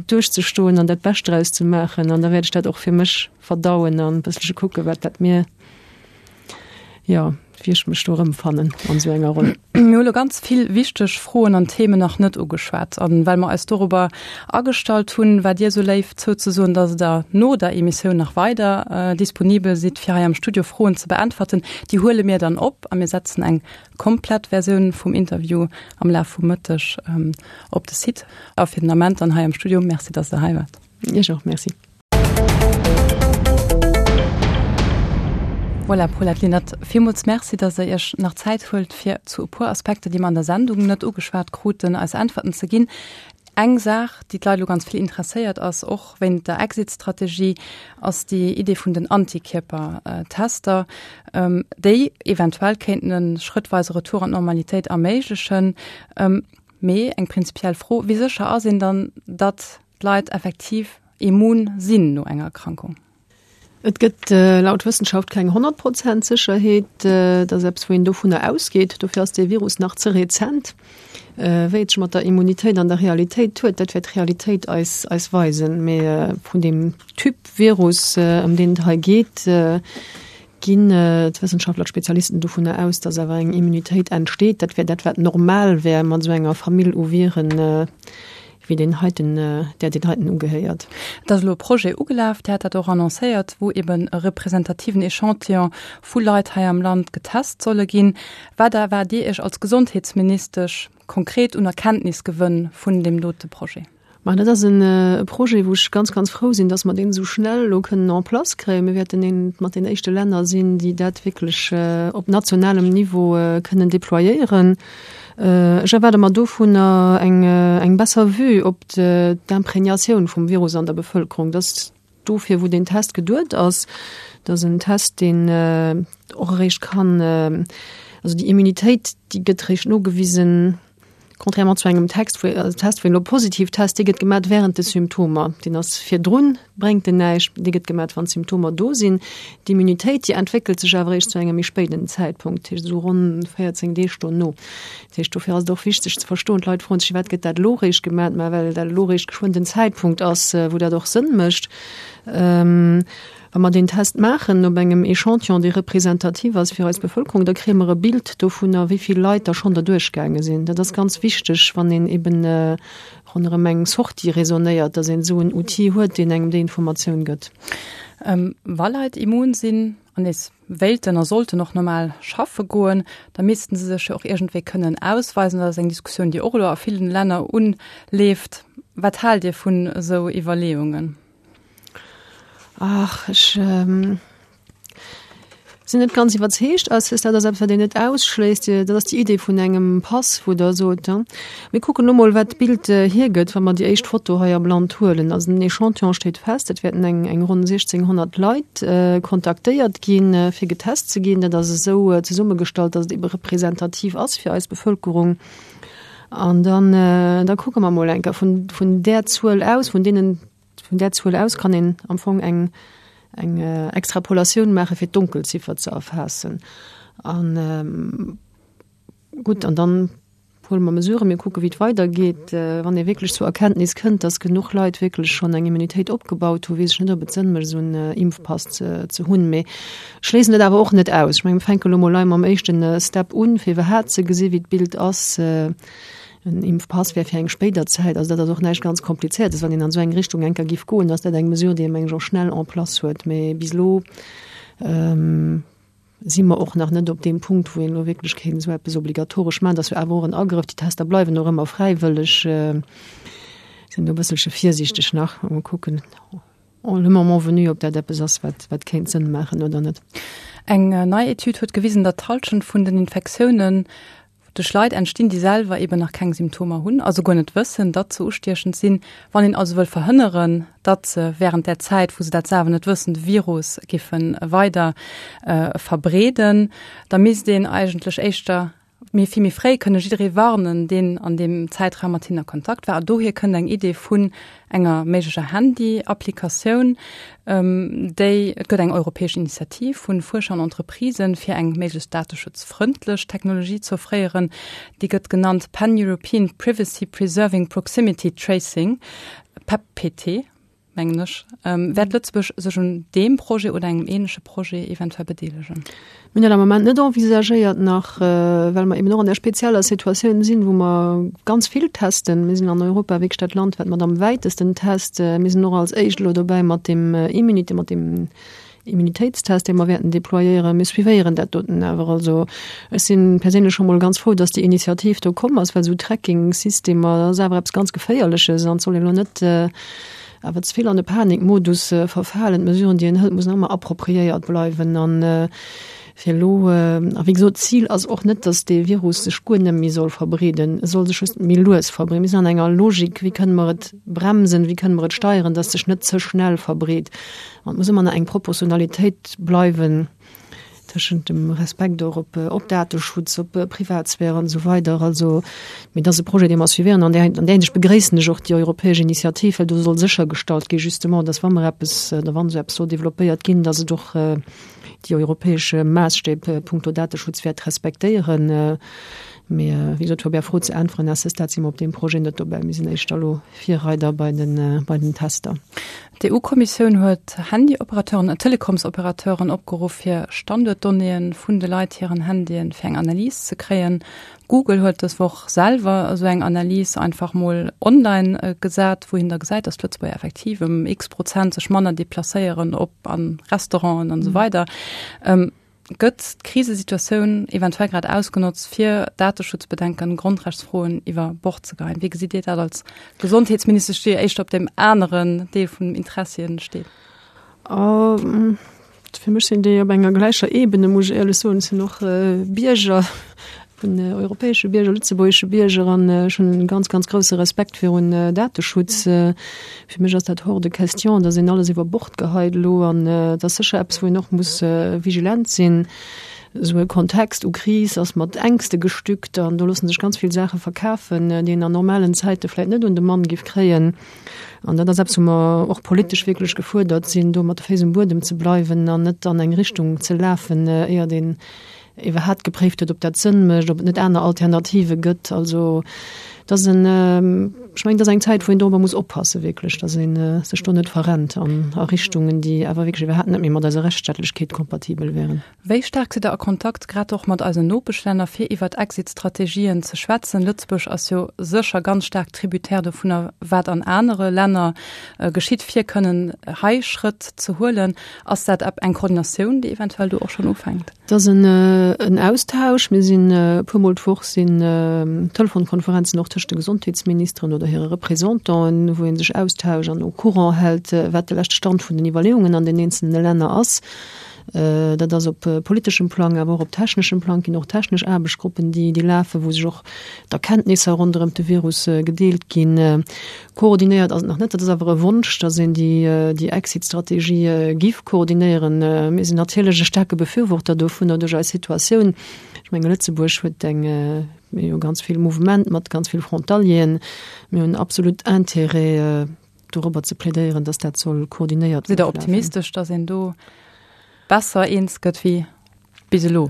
duerchzestoen an dat Bescht draus ze maachen an da wäert ech dat och fir mech verdauen an e bësselche kucken, wat dat mir, jo, wéi ech mech do erëmfannen an esou enger Roll. Mir hu lo ganz vill wichteg Froen an Themen nach net ugeschwat. An well mer eis dorobber agestallt hunn, war Dir esou léif zouzesoen, dass Der no der Emissioun nach weider disponibel sidd, fir hei am Studio Froen ze beäntwerten. Déi huele mir dann op a mir setzen eng komplett Versioun vum Interview am Laf vum Mëtteg op de Site. A fir den Ament dann hei am Studio, Merci, dass Der hei waart. Iech och Merci. Voilà, Paulette Lenert, villmools Merci, dass Der Iech nach Zäit huelt, fir zu e puer Aspekter, déi mer an der Sendung net ugeschwat kruten, eis Äntwerten ze ginn. Eng Saach, déi d'Leit elo ganz vill interesséiert ass, och wéint der Exit-Strategie, ass déi Idee vun den Antikierpertester, déi eventuell kéinten e schrëttweise Retour an d'Normalitéit erméiglechen. Mee eng prinzipiell Fro, Wéi sécher ass een dann, datt d'Leit effektiv immun sinn no enger Erkrankung? Et gëtt laut Wëssenschaft keng 100 Prozent Sécherheet. Dat ass eppes, wou een dovunner ausgeet. Dofir ass dee Virus nach ze rezent. Wéi et sech mat der Immunitéit an der Realitéit huet, dat wäert d'Realitéit eis eis weisen. Mee vun deem Typ Virus, ëm deen et hei geet, ginn d'Wëssenschaftler, d'Spezialisten dovunner aus, datt awer eng Immunitéit entsteet. Dat wär dat, wat normal wär mat esou enger Famill u Viren, wéi deen heiten, där deen heiten ugehéiert. Et ass elo e Projet ugelaf, Dir hat dat och annoncéiert, wou eben e representativen Echantillon vu Leit hei am Land getest solle ginn. Wat erwaart Dir Iech als Gesondheetsministesch konkret un Erkenntnisgewënn vun deem dote Projet? Ma dat ass e Projet, wou ech ganz, ganz frou sinn, datt mer deen esou schnell elo kënnen en place kréien. Mir wäerten eent mat den éischte Länner sinn, déi dat wierklech op nationalem Niveau kënnen déployéieren. Ech erwaarde mer dovunner eng besser Vue op d'Imprégnatioun vum Virus an der Bevëlkerung. Dat ass dofir, wou deen Test geduet ass. Dat ass en Test, deen och eréischt kann, also déi Immunitéit, déi gëtt eréischt nogewisen. Contrairement zu engem Text, wou, also Test, wou een elo positiv test, dee gëtt gemat während de Symptomer. Deen ass virdrun, bréngt en näischt, dee gëtt gemat, wann d'Symptomer do sinn. D'Immunitéit, déi entwéckelt sech awer eréischt zu engem méi spéiden Zäitpunkt, dat heescht esou ronn 14 Deeg dono. Dat heescht, dofir ass et och wichteg ze verstoen, d'Leit froen sech, firwat gëtt dat elo eréischt gemat, mä well dat elo eréischt geschwënn den Zäitpunkt ass, wou dat och Sënn mécht. Wa mer deen Test maachen op engem Echantillon, dee representativ ass fir eis Bevëlkerung, da kréie mer e Bild dovunner, wéi vill Leit da schonn derduerch gaange sinn. Dat ass ganz wichteg, wann een eben ronderëm eng Sortie raisonnéiert, dass een esou en Outil huet, deen engem déi Informatioun gëtt. Wa Leit immun sinn an nees wéilten a sollten och normal schaffe goen, da missten se sech jo och iergendwéi kënnen ausweisen. Dat ass eng Diskussioun, déi och elo a villen Länner unleeft. Wat haalt Dir vun esou Iwwerleeungen? Ach, ech ähm, sinn net ganz iwwerzeegt. Also, dat ass eppes, wat een net ausschléisst. Dat ass déi Idee vun engem Pass, wou Der sot, ja. Mir kucken elo mol, wat d'Bild äh, hiergëtt, wa mer déi éischt Foto hei am Land huelen. Also den Echantillon steet fest, et wäerten eng, eng ronn 1.600 Leit äh, kontaktéiert ginn, äh, fir getest ze ginn. Dat ass esou äh, zesummegestallt, datt et ebe representativ ass fir eis Bevëlkerung. An dann, äh, da kucke mer mol eng Kéier vun, vun där Zuel aus, vun deenen Vun där Zuel aus kann een am Fong eng, eng Extrapolatioun maache fir d'Donkelziffer ze erfaassen. An gutt, an dann huele mer Mesuren, mir kucke wéi et weidergeet. Wann ee wierklech zur Erkenntnis kënnt, datt genuch Leit wierklech schonn eng Immunitéit opgebaut hunn, weess ech net, ob et Sënn mécht, esou en Impfpass ze, ze hunn. Mee ech schléissen et awer och net aus. Ech menge mir fänke lo mol hei mam éischten Step un, fir iwwerhaapt ze gesi wéi d'Bild ass. En Impfpass wär fir eng spéider Zäit. Also dat ass och näischt ganz Komplizéiertes. Wann een an esou eng Richtung eng Kéier giff goen, ass dat eng Mesure, déi ee meng ech och schnell en place huet. Mee bis elo si mer och nach net op deem Punkt, wou een elo wierklech kéint esou eppes obligatoresch maachen. Dat ass jo awer och en Agrëff. Déi Tester bleiwen och ëmmer fräiwëlleg. Sinn do e bësselche virsiichteg nach. Mol kucken. Le moment venu, ob dat eppes ass, wat, wat kéint Sënn maachen oder net. Eng nei Etüd huet gewisen, datt d'Hallschent vun den Infektiounen duerch Leit entstinn, déi selwer eben nach keng Symptomer hunn, also guer net wëssen, datt se ustiechend sinn. Wann een also wëll verhënneren, datt se wärend där Zäit, wou se dat selwer net wëssen, de Virus giffe weider verbreeden, da misst een eigentlech éischter Mee vill méi fréi kënne jidderee warnen, deen an deem Zäitraum mat hinnen a Kontakt war. A dohier kënnt eng Idee vun enger méiglecher Handy-Applikatioun, déi, et gëtt eng europäesch Initiativ vu Fuerscher an Entreprisen, fir eng méiglechst dateschutzfrëndlech Technologie ze offréieren. Déi gëtt genannt Pan-European Privacy Preserving Proximity Tracing, PEPP-PT. mengen ech. Wäert Lëtzebuerg sech un deem Projet oder engem ähnleche Projet eventuell bedeelegen? Mir hunn dat am Moment net envisagéiert nach, well mer eben och an där spezieller Situatioun sinn, wou mer ganz vill testen. Mir sinn an Europa wierklech dat Land, wat mat am wäitesten test. Mir sinn och als éischt elo dobäi mat deem Immunité, mat deem Immunitéitstest, dee mer wäerten déployéieren. Mir suivéieren dat doten awer. Also ech si perséinlech scho mol ganz frou, dass déi Initiativ do komm ass, well esou Tracking-Systemer, dat ass awer eppes ganz Geféierleches an et soll een elo net awer ze vill an de Panikmodus verfalen. D'Mesuren, déi een hëlt, mussen ëmmer appropriéiert bleiwen. An fir elo, a wéi gesot, d'Zil ass och net, dass dee Virus sech guer net méi soll verbreeden. E soll sech just méi lues verbreeden. Mir sinn an enger Logik, wéi kënne mer et bremsen, wéi kënne mer et steieren, dass sech net ze schnell verbreet. An et muss ëmmer nach eng Proportionalitéit bleiwen tëschent dem Respekt och op, op Dateschutz, op Privatsphäre an esou weider. Also, mee dat ass e Projet, dee mer suivéieren. An där, an där Hinsicht begréissen ech och déi europäesch Initiativ, well do soll séchergestallt gi justement, dass wa mer eppes, oder wann esou eppes soll développéiert ginn, dass et och déi europäesch Maasstäb punkto Dateschutz wäert respektéieren. Mee wéi gesot, fir op Är Fro ze äntweren, à ce stade si mer op deem Projet net dobäi. Mir sinn éischter elo Virreider bei den, bei den Tester. D'EU-Kommissioun huet Handyoperateuren a Telekomsoperateuren opgeruff, fir Standuertdonnéeë vun de Leit hiren Handyen fir eng Analys ze kréien. Google huet dës Woch selwer esou eng Analys einfach mol online gesat, wou een da gesäit, datt d'Lëtzebuerger effektiv ëm x Prozent sech manner deplacéieren op an Restauranten an esou weider. Gëtt d'Krisesituatioun eventuell grad ausgenotzt, fir Dateschutzbedenken, Grondrechtsfroen iwwer Bord ze geheien? Wéi gesitt Dir dat als Gesondheetsministesch, déi éischter op deem aneren Deel vun den Interessien steet? Fir mech sinn déi op enger gläicher Ebene, muss ech éierlech soen. Ech sinn och Bierger, vun europäesche Bierger, lëtzebuergesche Bierger an ech hunn e ganz, ganz grousse Respekt virun Dateschutz. Fir mech ass dat hors de question, datt een alles iwwer Bord geheit elo an et ass sécher eppes, wou een och muss vigilent sinn. Esou e Kontext u Kris ass mat Ängste gestückt an do loosse sech ganz vill Saache verkafen, déi een an normalen Zäite vläicht net un de Mann géif kréien. An dat ass eppes, wou mer och politesch wierklech gefuerdert sinn, do mat de Féiss um Buedem ze bleiwen an net an eng Richtung ze lafen, éiert een iwwerhaapt gepréift huet, ob dat Sënn mécht, ob et net aner Alternative gëtt. Also et ass en, ech mengen, et ass eng Zäit, wou een dorobber muss oppassen, wierklech, datt ee sech do net verrennt an a Richtungen, déi awer wierklech iwwerhaapt net méi mat eiser Rechtsstaatlechkeet kompatibel wären. Wéi staark sidd Der a Kontakt, grad och mat eisen Nopeschlänner, fir iwwert Exit-Strategien ze schwätzen? Lëtzebuerg ass jo sécher ganz staark Tributaire dovunner, wat an anere Länner geschitt, fir kënnen hei Schrëtt ze huelen. Ass dat eng Koordinatioun, déi eventuell do och schonn ufänkt? Et ass en Austausch. Mir sinn e puermol d'Woch sinn Telefonkonferenzen och tëscht de Gesondheetsministeren oder hire Représentanten, wou ee sech austauscht an au courant hält, wat de leschte Stand vun den Iwwerleeungen an den eenzelne Länner ass. Dat ass op politeschem Plang, awer och op techneschem Plang ginn och technesch Aarbechtsgruppen, déi lafen, wou sech och d'Erkenntnisser ronderëm de Virus gedeelt ginn. Koordinéiert ass et nach net. Dat ass awer e Wonsch, datt een déi Exit-Strategie giff koordinéieren. Mir sinn natierlech e staarke Befürworter dovunner duerch eis Situatioun. Ech menge Lëtzebuerg huet eng, mir hu ganz vill Mouvement mat ganz vill Frontalieren. Mir hunn absolut Intérêt dorobber ze plädéieren, datt dat soll koordinéiert Sidd Der optimistesch, datt een do besser eens gëtt wéi bis elo?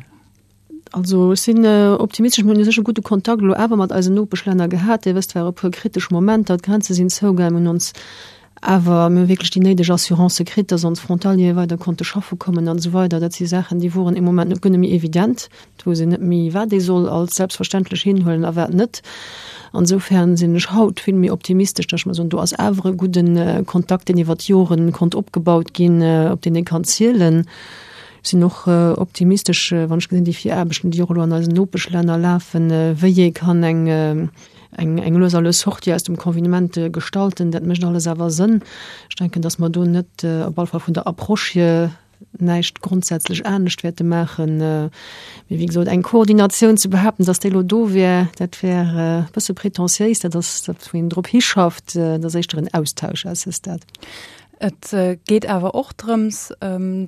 Also ech sinn optimistesch. Mir hunn u sech e gudde Kontakt elo awer mat eisen Nopeschlänner gehat. Dir wësst, et ware e puer kritesch Momenter, d'Grenze sinn zougaangen. Mir hunn ons awer, mir hu wierklech déi néideg Assurancë kritt, datt ons Frontaliere weider konnte schaffe kommen an esou weider. Dat si Saachen, déi woren ee Moment net guer net méi evident. Et wousst een net méi, wat ee soll als selbstverständlech hinhuelen a wat net. An esoufern sinn ech haut vill méi optimistesch, datt ech mer soen, do ass awer e gudde Kontakt, deen iwwer d'Jore konnt opgebaut ginn, op deen ee kann zielen. Ech sinn och optimistesch, wann ech gesinn, déi Viraarbechten, déi och elo an eisen Nopeschlänner lafen, wéi ee kann eng, eng, eng lues a lues Sortie aus dem Confinement gestalten. Dat mécht alles awer Sënn. Ech denken, datt mer do net, op alle Fall vun der Approche hier, näischt grondsätzlech anescht wäerte maachen. Mee wéi gesot, eng Koordinatioun ze behaapten, datt déi elo do wär, dat wär e bësse prétentiéis. Dat ass dat, wou een drop hischafft. Dat ass éischter en Austausch à ce stade. Et geet awer och drëms,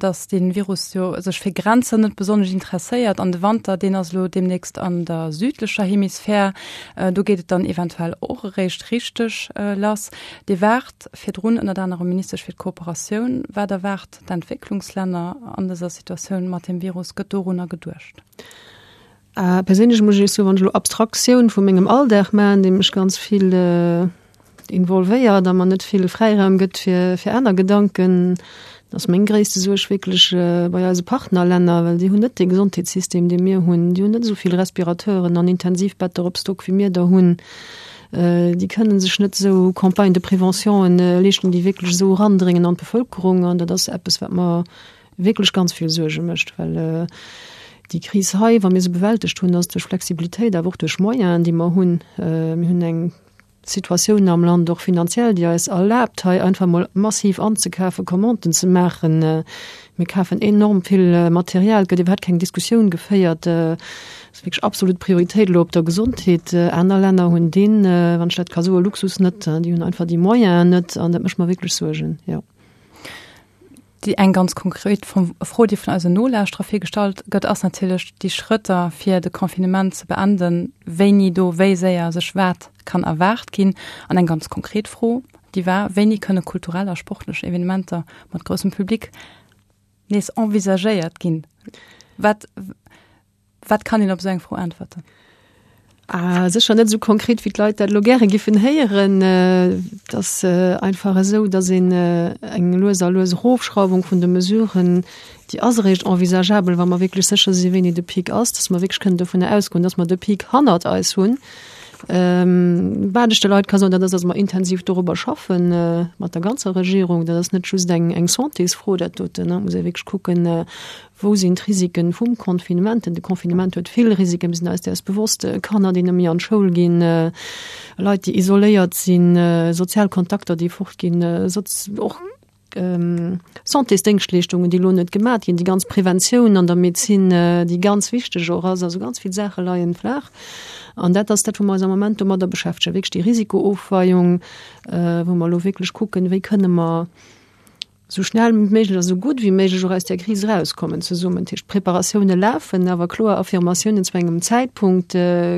datt dee Virus jo sech fir Grenzen net besonnesch interesséiert an de Wanter, deen ass elo deemnächst an der südlecher Hemisphär. Do geet et dann eventuell och eréischt richteg lass. Dir waart virdrun ënnert anerem Ministesch fir d'Kooperatioun. Wat erwaart d'Entwécklungslänner an dëser Situatioun mat dem Virus? Gëtt dorunner geduecht? Perséinlech muss ech Iech soen, wann ech elo Abstraktioun vu mengem Alldag maachen, dee mech ganz vill involvéiert a mer net vill Fräiraum gëtt fir, fir aner Gedanken, ass meng gréisste Suerg wierklech bei eise Partnerlänner, well déi hunn net dee Gesondheetssystem, dee mir hunn. Déi hunn net esou vill Respirateuren an Intensivbetter op Stock, wéi mir der hunn. Déi kënne sech net esou Campagnes de préventionen leeschten, déi wierklech esou erandréngen an d'Bevëlkerung. An dat ass eppes, wat mer wierklech ganz vill Suerge mécht, well déi Kris hei, wa mir se bewältegt hunn, ass duerch Flexibilitéit, awer och duerch Moyenen, déi mer hunn. Mir hunn eng Situatioun am Land, och finanziell, déi eis erlaabt, hei einfach emol massiv anzekafen, Commanden ze maachen. Mir kafen enorm vill Material, et gëtt iwwerhaapt keng Diskussioun geféiert. Et ass wierklech absolut Prioritéit elo op der Gesondheet. Aner Länner hunn deen, wann ech dat ka soen, Luxus net. Déi hunn einfach déi Moyenen net an dat mécht mer wierklech Suergen, jo. Déi eng ganz konkret Fro, déi vun eisen Nolauschterer vill gestallt gëtt, ass natierlech déi Schrëtter, fir de Confinement ze beenden, wéini do wéi séier sech wat kann erwaart ginn. An eng ganz konkret Fro, déi war, Wéini kënne kulturell a sportlech Evenementer mat groussem Public nees envisagéiert ginn? Wat, Wat kann een op esou eng Fro äntwerten? Ah, sécher net esou konkret, wéi d'Leit dat elo gäre giffen héieren. Et ass einfach esou, datt een eng lues a lues Erofschrauwung vun de Mesuren, déi ass eréischt envisageabel, wa mer wierklech sécher si wéini de Pic ass, datt mer wierklech kënnen dovunner ausgoen, datt mer de Pic hannert eis hunn. Wat ech de Leit ka soen, dat ass, datt mer intensiv dorobber schaffen, mat der ganzer Regierung. Dat ass net just eng Santésfro, dat doten. Et muss ee wierklech kucken, Wou sinn d'Risiken vum Confinement? De Confinement huet vill Risiken, mir sinn eis däers bewosst. Kanner, déi net méi an d'Schoul ginn, Leit, déi isoléiert sinn, sozial Kontakter, déi fort ginn, och Santésdéngschtleeschtungen, déi elo net gemat ginn, déi ganz Preventioun an der Medezin, déi ganz wichteg och ass. Also ganz vill Saache leien flaach. An dat ass dat, wou mer eis am Moment domadder beschäftegen, wierklech déi Risikoofweiung, wou mer elo wierklech kucken, wéi kënne mer. Esou schnell wéi méiglech a sou gutt wéi méiglech och aus där Kris erauskommen zesummen. Dat heescht, d'Preparatioune lafen, awer kloer Affirmatiounen zu engem Zäitpunkt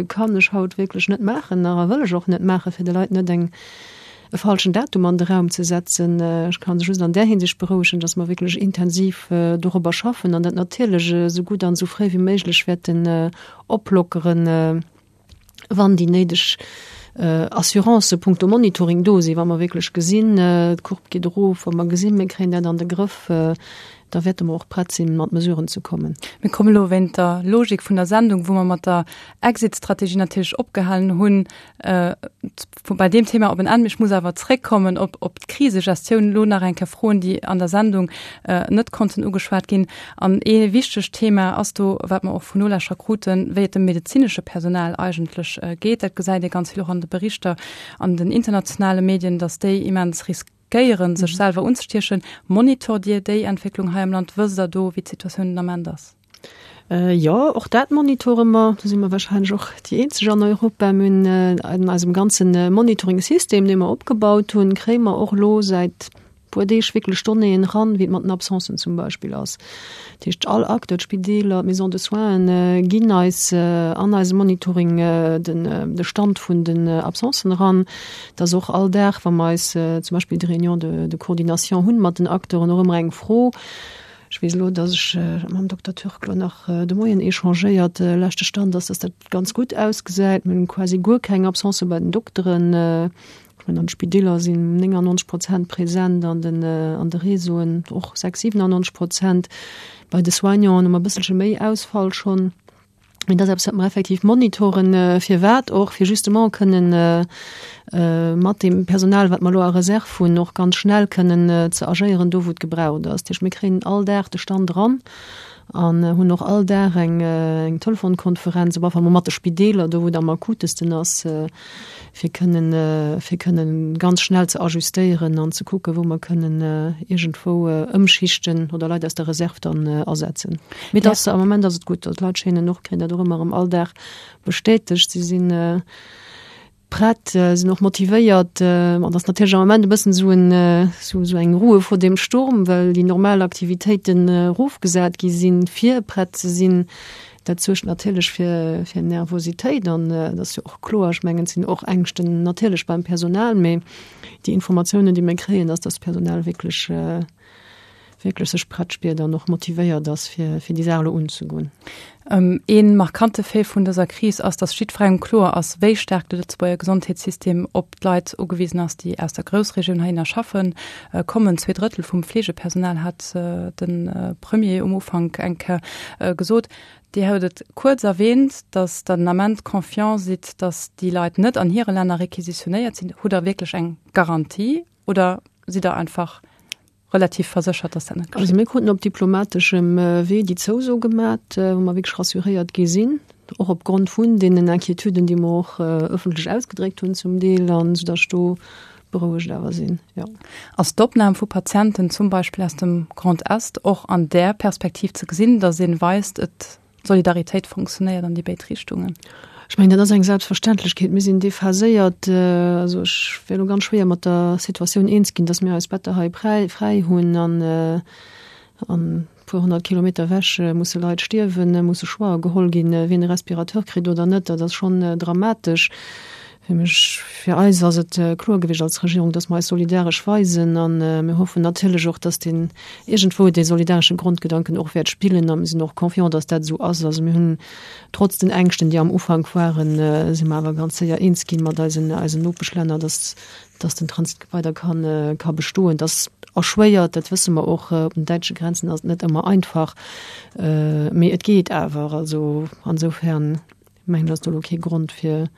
kann ech haut wierklech net maachen nach a wëll ech och net maachen, fir de Leit net eng, e falschen Datum an de Raum ze setzen. Ech ka se just an där Hinsicht berouegen, datt mer wierklech intensiv dorobber schaffen an dat natierlech esou gutt an esou fréi wéi méiglech wäerten oplockeren. wann déi néideg Assurancë punkto Monitoring do sinn, wa mer wierklech gesinn, d'Courbe geet erof, wa mer gesinn, mir kréien dat an de Grëff, da wäerte mer och prett sinn, mat Mesuren ze kommen. Mir kommen elo wéint der Logik vun der Sendung, wou mer mat der Exit-Strategie natierlech opgehalen hunn, bei deem Thema op en Enn. Ech muss awer zréckkommen op, op d'Krisegestioun. Elo nach eng Kéier Froen, déi an der Sendung net konnten ugeschwat ginn. An ee wichtegt Thema ass do, wat mer och vun Nolauschterer kruten, wéi et dem medezinesche Personal eigentlech geet. Dat gesäit ee ganz vill och an de Berichter an den internationale Medien, datt déi immens riskéieren, sech selwer unzestiechen. Monitort Dir déi Entwécklung hei am Land? Wësst Der do, wéi d'Situatioun den Ament ass? Jo, och dat monitore mer. Do si mer warscheinlech och déi eenzeg an Europa. Mir hunn an eisem ganze Monitoring-System, dee mer opgebaut hunn, kréie mer och elo säit puer Deeg wierklech Donnéeën eran, wéi et mat den Absencen zum Beispill ass. Dat heescht, all Acteur, d'Spideeler, d'Maisons de soins ginn eis an eisem Monitoring den de Stand vun den Absencen eran. Et ass och all Dag, wa mer eis zum Beispill déi Réunion de de coordination hunn mat den Acteuren, och ëmmer eng Fro, Ech weess elo, datt ech mam Dokter Türk elo nach de Moien échangéiert. Leschte Stand ass, datt dat ganz gutt ausgesäit. Mir hunn quasi guer keng Absencë bei den Dokteren. Ech mengen, an de Spideeler sinn 99 Prozent present, an den, an de Réseauen och 6, 97 Prozent. Bei de Soignanten hu mer e bësselche méi Ausfall schonn. Mee dat ass eppes, wat mer effektiv monitoren. Firwat och? Fir justement kënnen mat deem Personal, wat mer elo a Reserve hunn, och ganz schnell kënnen ze agéieren, do wou et gebraucht ass. Dat heescht, mir kréien all Dag de Stand eran an hunn och all Dag eng Telefonkonferenz, op alle Fall mol mat de Spideeler, do wou et am akutesten ass, fir kënnen, fir kënnen ganz schnell ze ajustéieren an ze kucken, wou mer kënnen iergendwou ëmschichten oder Leit aus der Reserve dann asetzen. Mee et ass, am Moment ass et gutt. Also d'Leit schéinen och, kréien dat och ëmmer erëm all Dag bestätegt, si sinn prett, sinn och motivéiert. An et ass natierlech am Moment e bëssen esou en, esou eng Ruhe vor dem Sturm, well déi normal Aktivitéiten erofgesat gi sinn, fir prett ze sinn. Dat suergt natierlech fir, fir Nervositéit an dat ass jo och kloer. Ech mengen, et sinn och Ängschten natierlech beim Personal, mee déi Informatiounen, déi mir kréien, ass, dass d'Personal wierklech, wierklech sech prett spiert an och motivéiert ass, fir, fir déi Saach elo unzegoen. Ee markante Fait vun dëser Kris ass, dass jiddwerengem kloer ass, wéi staark de Lëtzebuerger Gesondheetssystem op d'Leit ugewisen ass, déi aus der Groussregioun heihinner schaffe kommen. Zweedrëttel vum Fleegepersonal hat de Premier um Ufank eng Kéier gesot. Dir hutt et kuerz erwähnt, datt Der den Ament confiant sidd, datt déi Leit net an hire Länner requisitionéiert sinn. Hutt Der wierklech eng Garantie oder sidd Der einfach relativ verséchert, datt dat net geschitt? Also mir kruten op diplomateschem Wee déi Zouso gemat, wou mer wierklech rassuréiert gi sinn, och opgrond vun deenen Inquiétuden, déi mer och ëffentlech ausgedréckt hunn zum Deel, an soudatt ech do berouegt awer sinn, jo. Ass d'Opnam vu Patienten zum Beispill aus dem Grand Est och an där Perspektiv ze gesinn, datt ee weist, et d'Solidaritéit fonctionnéiert an déi béid Richtungen? Ech mengen, dat ass eng Selbstverständlechkeet. Mir sinn déphaséiert. Also ech wär elo ganz schwéier mat der Situatioun eens ginn, datt mir eis Better hei fräi hunn an e puer 100 Kilometer ewech musse Leit stierwen, musse Choixë geholl ginn, wien e Respirateur kritt oder net. Dat ass schonn dramatesch. Fir mech, fir eis ass et kloer gewiescht als Regierung, dass mer eis solidaresch weisen a mir hoffen natierlech och, dass deen iergendwou dee solidaresche Grondgedanken och wäert spillen a mir sinn och confiant, dass dat esou ass. Also mir hunn trotz den Ängschten, déi am Ufank waren, si mer awer ganz séier eens ginn mat eisen, eisen Nopeschlänner, dass, dass den Transit weider kann, ka bestoen. Dass erschwéiert, dat wësse mer och, op den däitsche Grenzen ass et net ëmmer einfach, mee et geet awer. Also ansoufern Mengen ass do lo kee Grond fir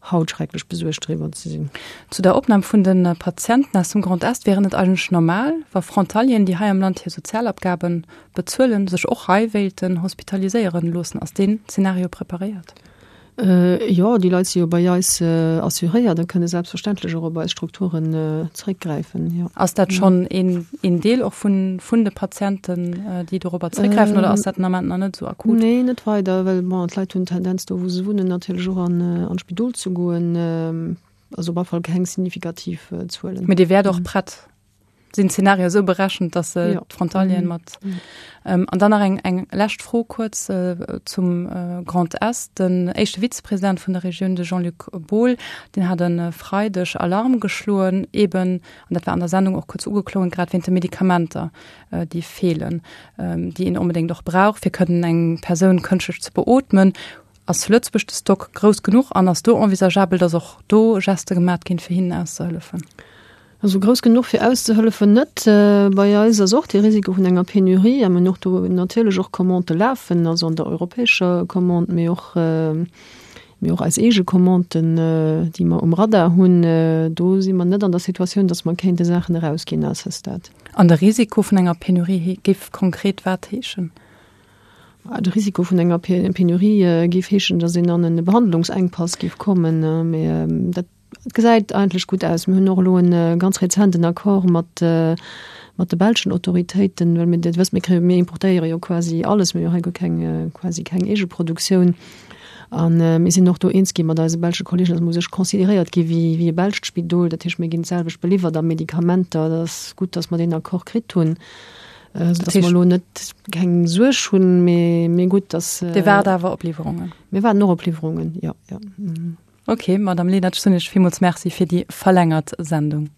haut schrecklech besuergt driwwer ze sinn. Zu der Opnam vun de Patienten aus dem Grand Est, Wieren et eigentlech normal, wa Frontalieren, déi hei am Land hir Sozialabgaben bezuelen, sech och hei wéilten hospitaliséieren loossen? Ass deen Zeenario preparéiert? Jo, déi Leit si jo bei eis assuréiert a kënne selbstverständlech och op eis Strukturen zeréckgräifen, jo. Ass dat schonn een, een Deel och vun, vun de Patienten, déi dorobber zeréckgräifen, oder ass dat den Ament nach net esou akut? Nee, net weider, well bon, d'Leit hunn d'Tendenz, do wou se wunnen, natierlech och an, an d'Spidol ze goen. Also op alle Fall keng signifikativ Zuelen. Mee Dir wäert och prett? Sinn d'Zenarioe esou berechent, dass se d'Frontalieren mat. An dann nach eng eng lescht Fro kuerz zum Grand Est. Den éischte Vizepresident vun der Regioun, de Jean-Luc Bohl, deen hat e Freideg Alarm geschloen, eben, an dat war an der Sendung och kuerz ugeklongen, grad wéint de Medikamenter, déi feelen, déi een onbedéngt och brauch, fir kënnen eng Persoun kënschtlech ze beootmen. Ass zu Lëtzebuerg de Stock grouss genuch an ass do envisageabel, dass och do Geste gemat ginn, fir hinnen auszehëllefen? Also grouss genuch fir auszehëllefen net. Bei eis ass och de Risiko vun enger Penurie a mir hunn och do natierlech och Commandë lafen, also an der europäescher Commande, mee och, mee och eis eege Commanden, déi mer um Radar hunn. Do si mer net an der Situatioun, datt mer kéinte Saachen erausginn à ce stade. An de Risiko vun enger Penurie géif konkret wat heeschen? De Risiko vun enger Penurie géif heeschen, datt een an e Behandlungsengpass géif kommen, mee dat Et gesäit eigentlech gutt aus. Mir hunn och elo e ganz rezenten Accord mat, mat de belschen Autoritéiten, well mir, Dir wësst, mir kréie, mir importéiere jo quasi alles, mir hu jo hei guer keng, quasi keng Eegeproduktioun. A mir sinn och do eens gi mat eise belsche Kollegen, dass mer u sech consideréiert gi wéi, wéi e belscht Spidol. Dat heescht, mir ginn d'selwecht beliwwert a Medikamenter. Dat ass gutt, dass mer deen Accord kritt hunn, soudass mer elo net keng Suerg hunn, mee, mee gutt, dass. Dir waart awer op Liwwerungen? Mir waarden och op Liwwerungen, jo, jo. Ok, Madame Lenert, ech soen Iech villmools Merci fir déi verlängert Sendung.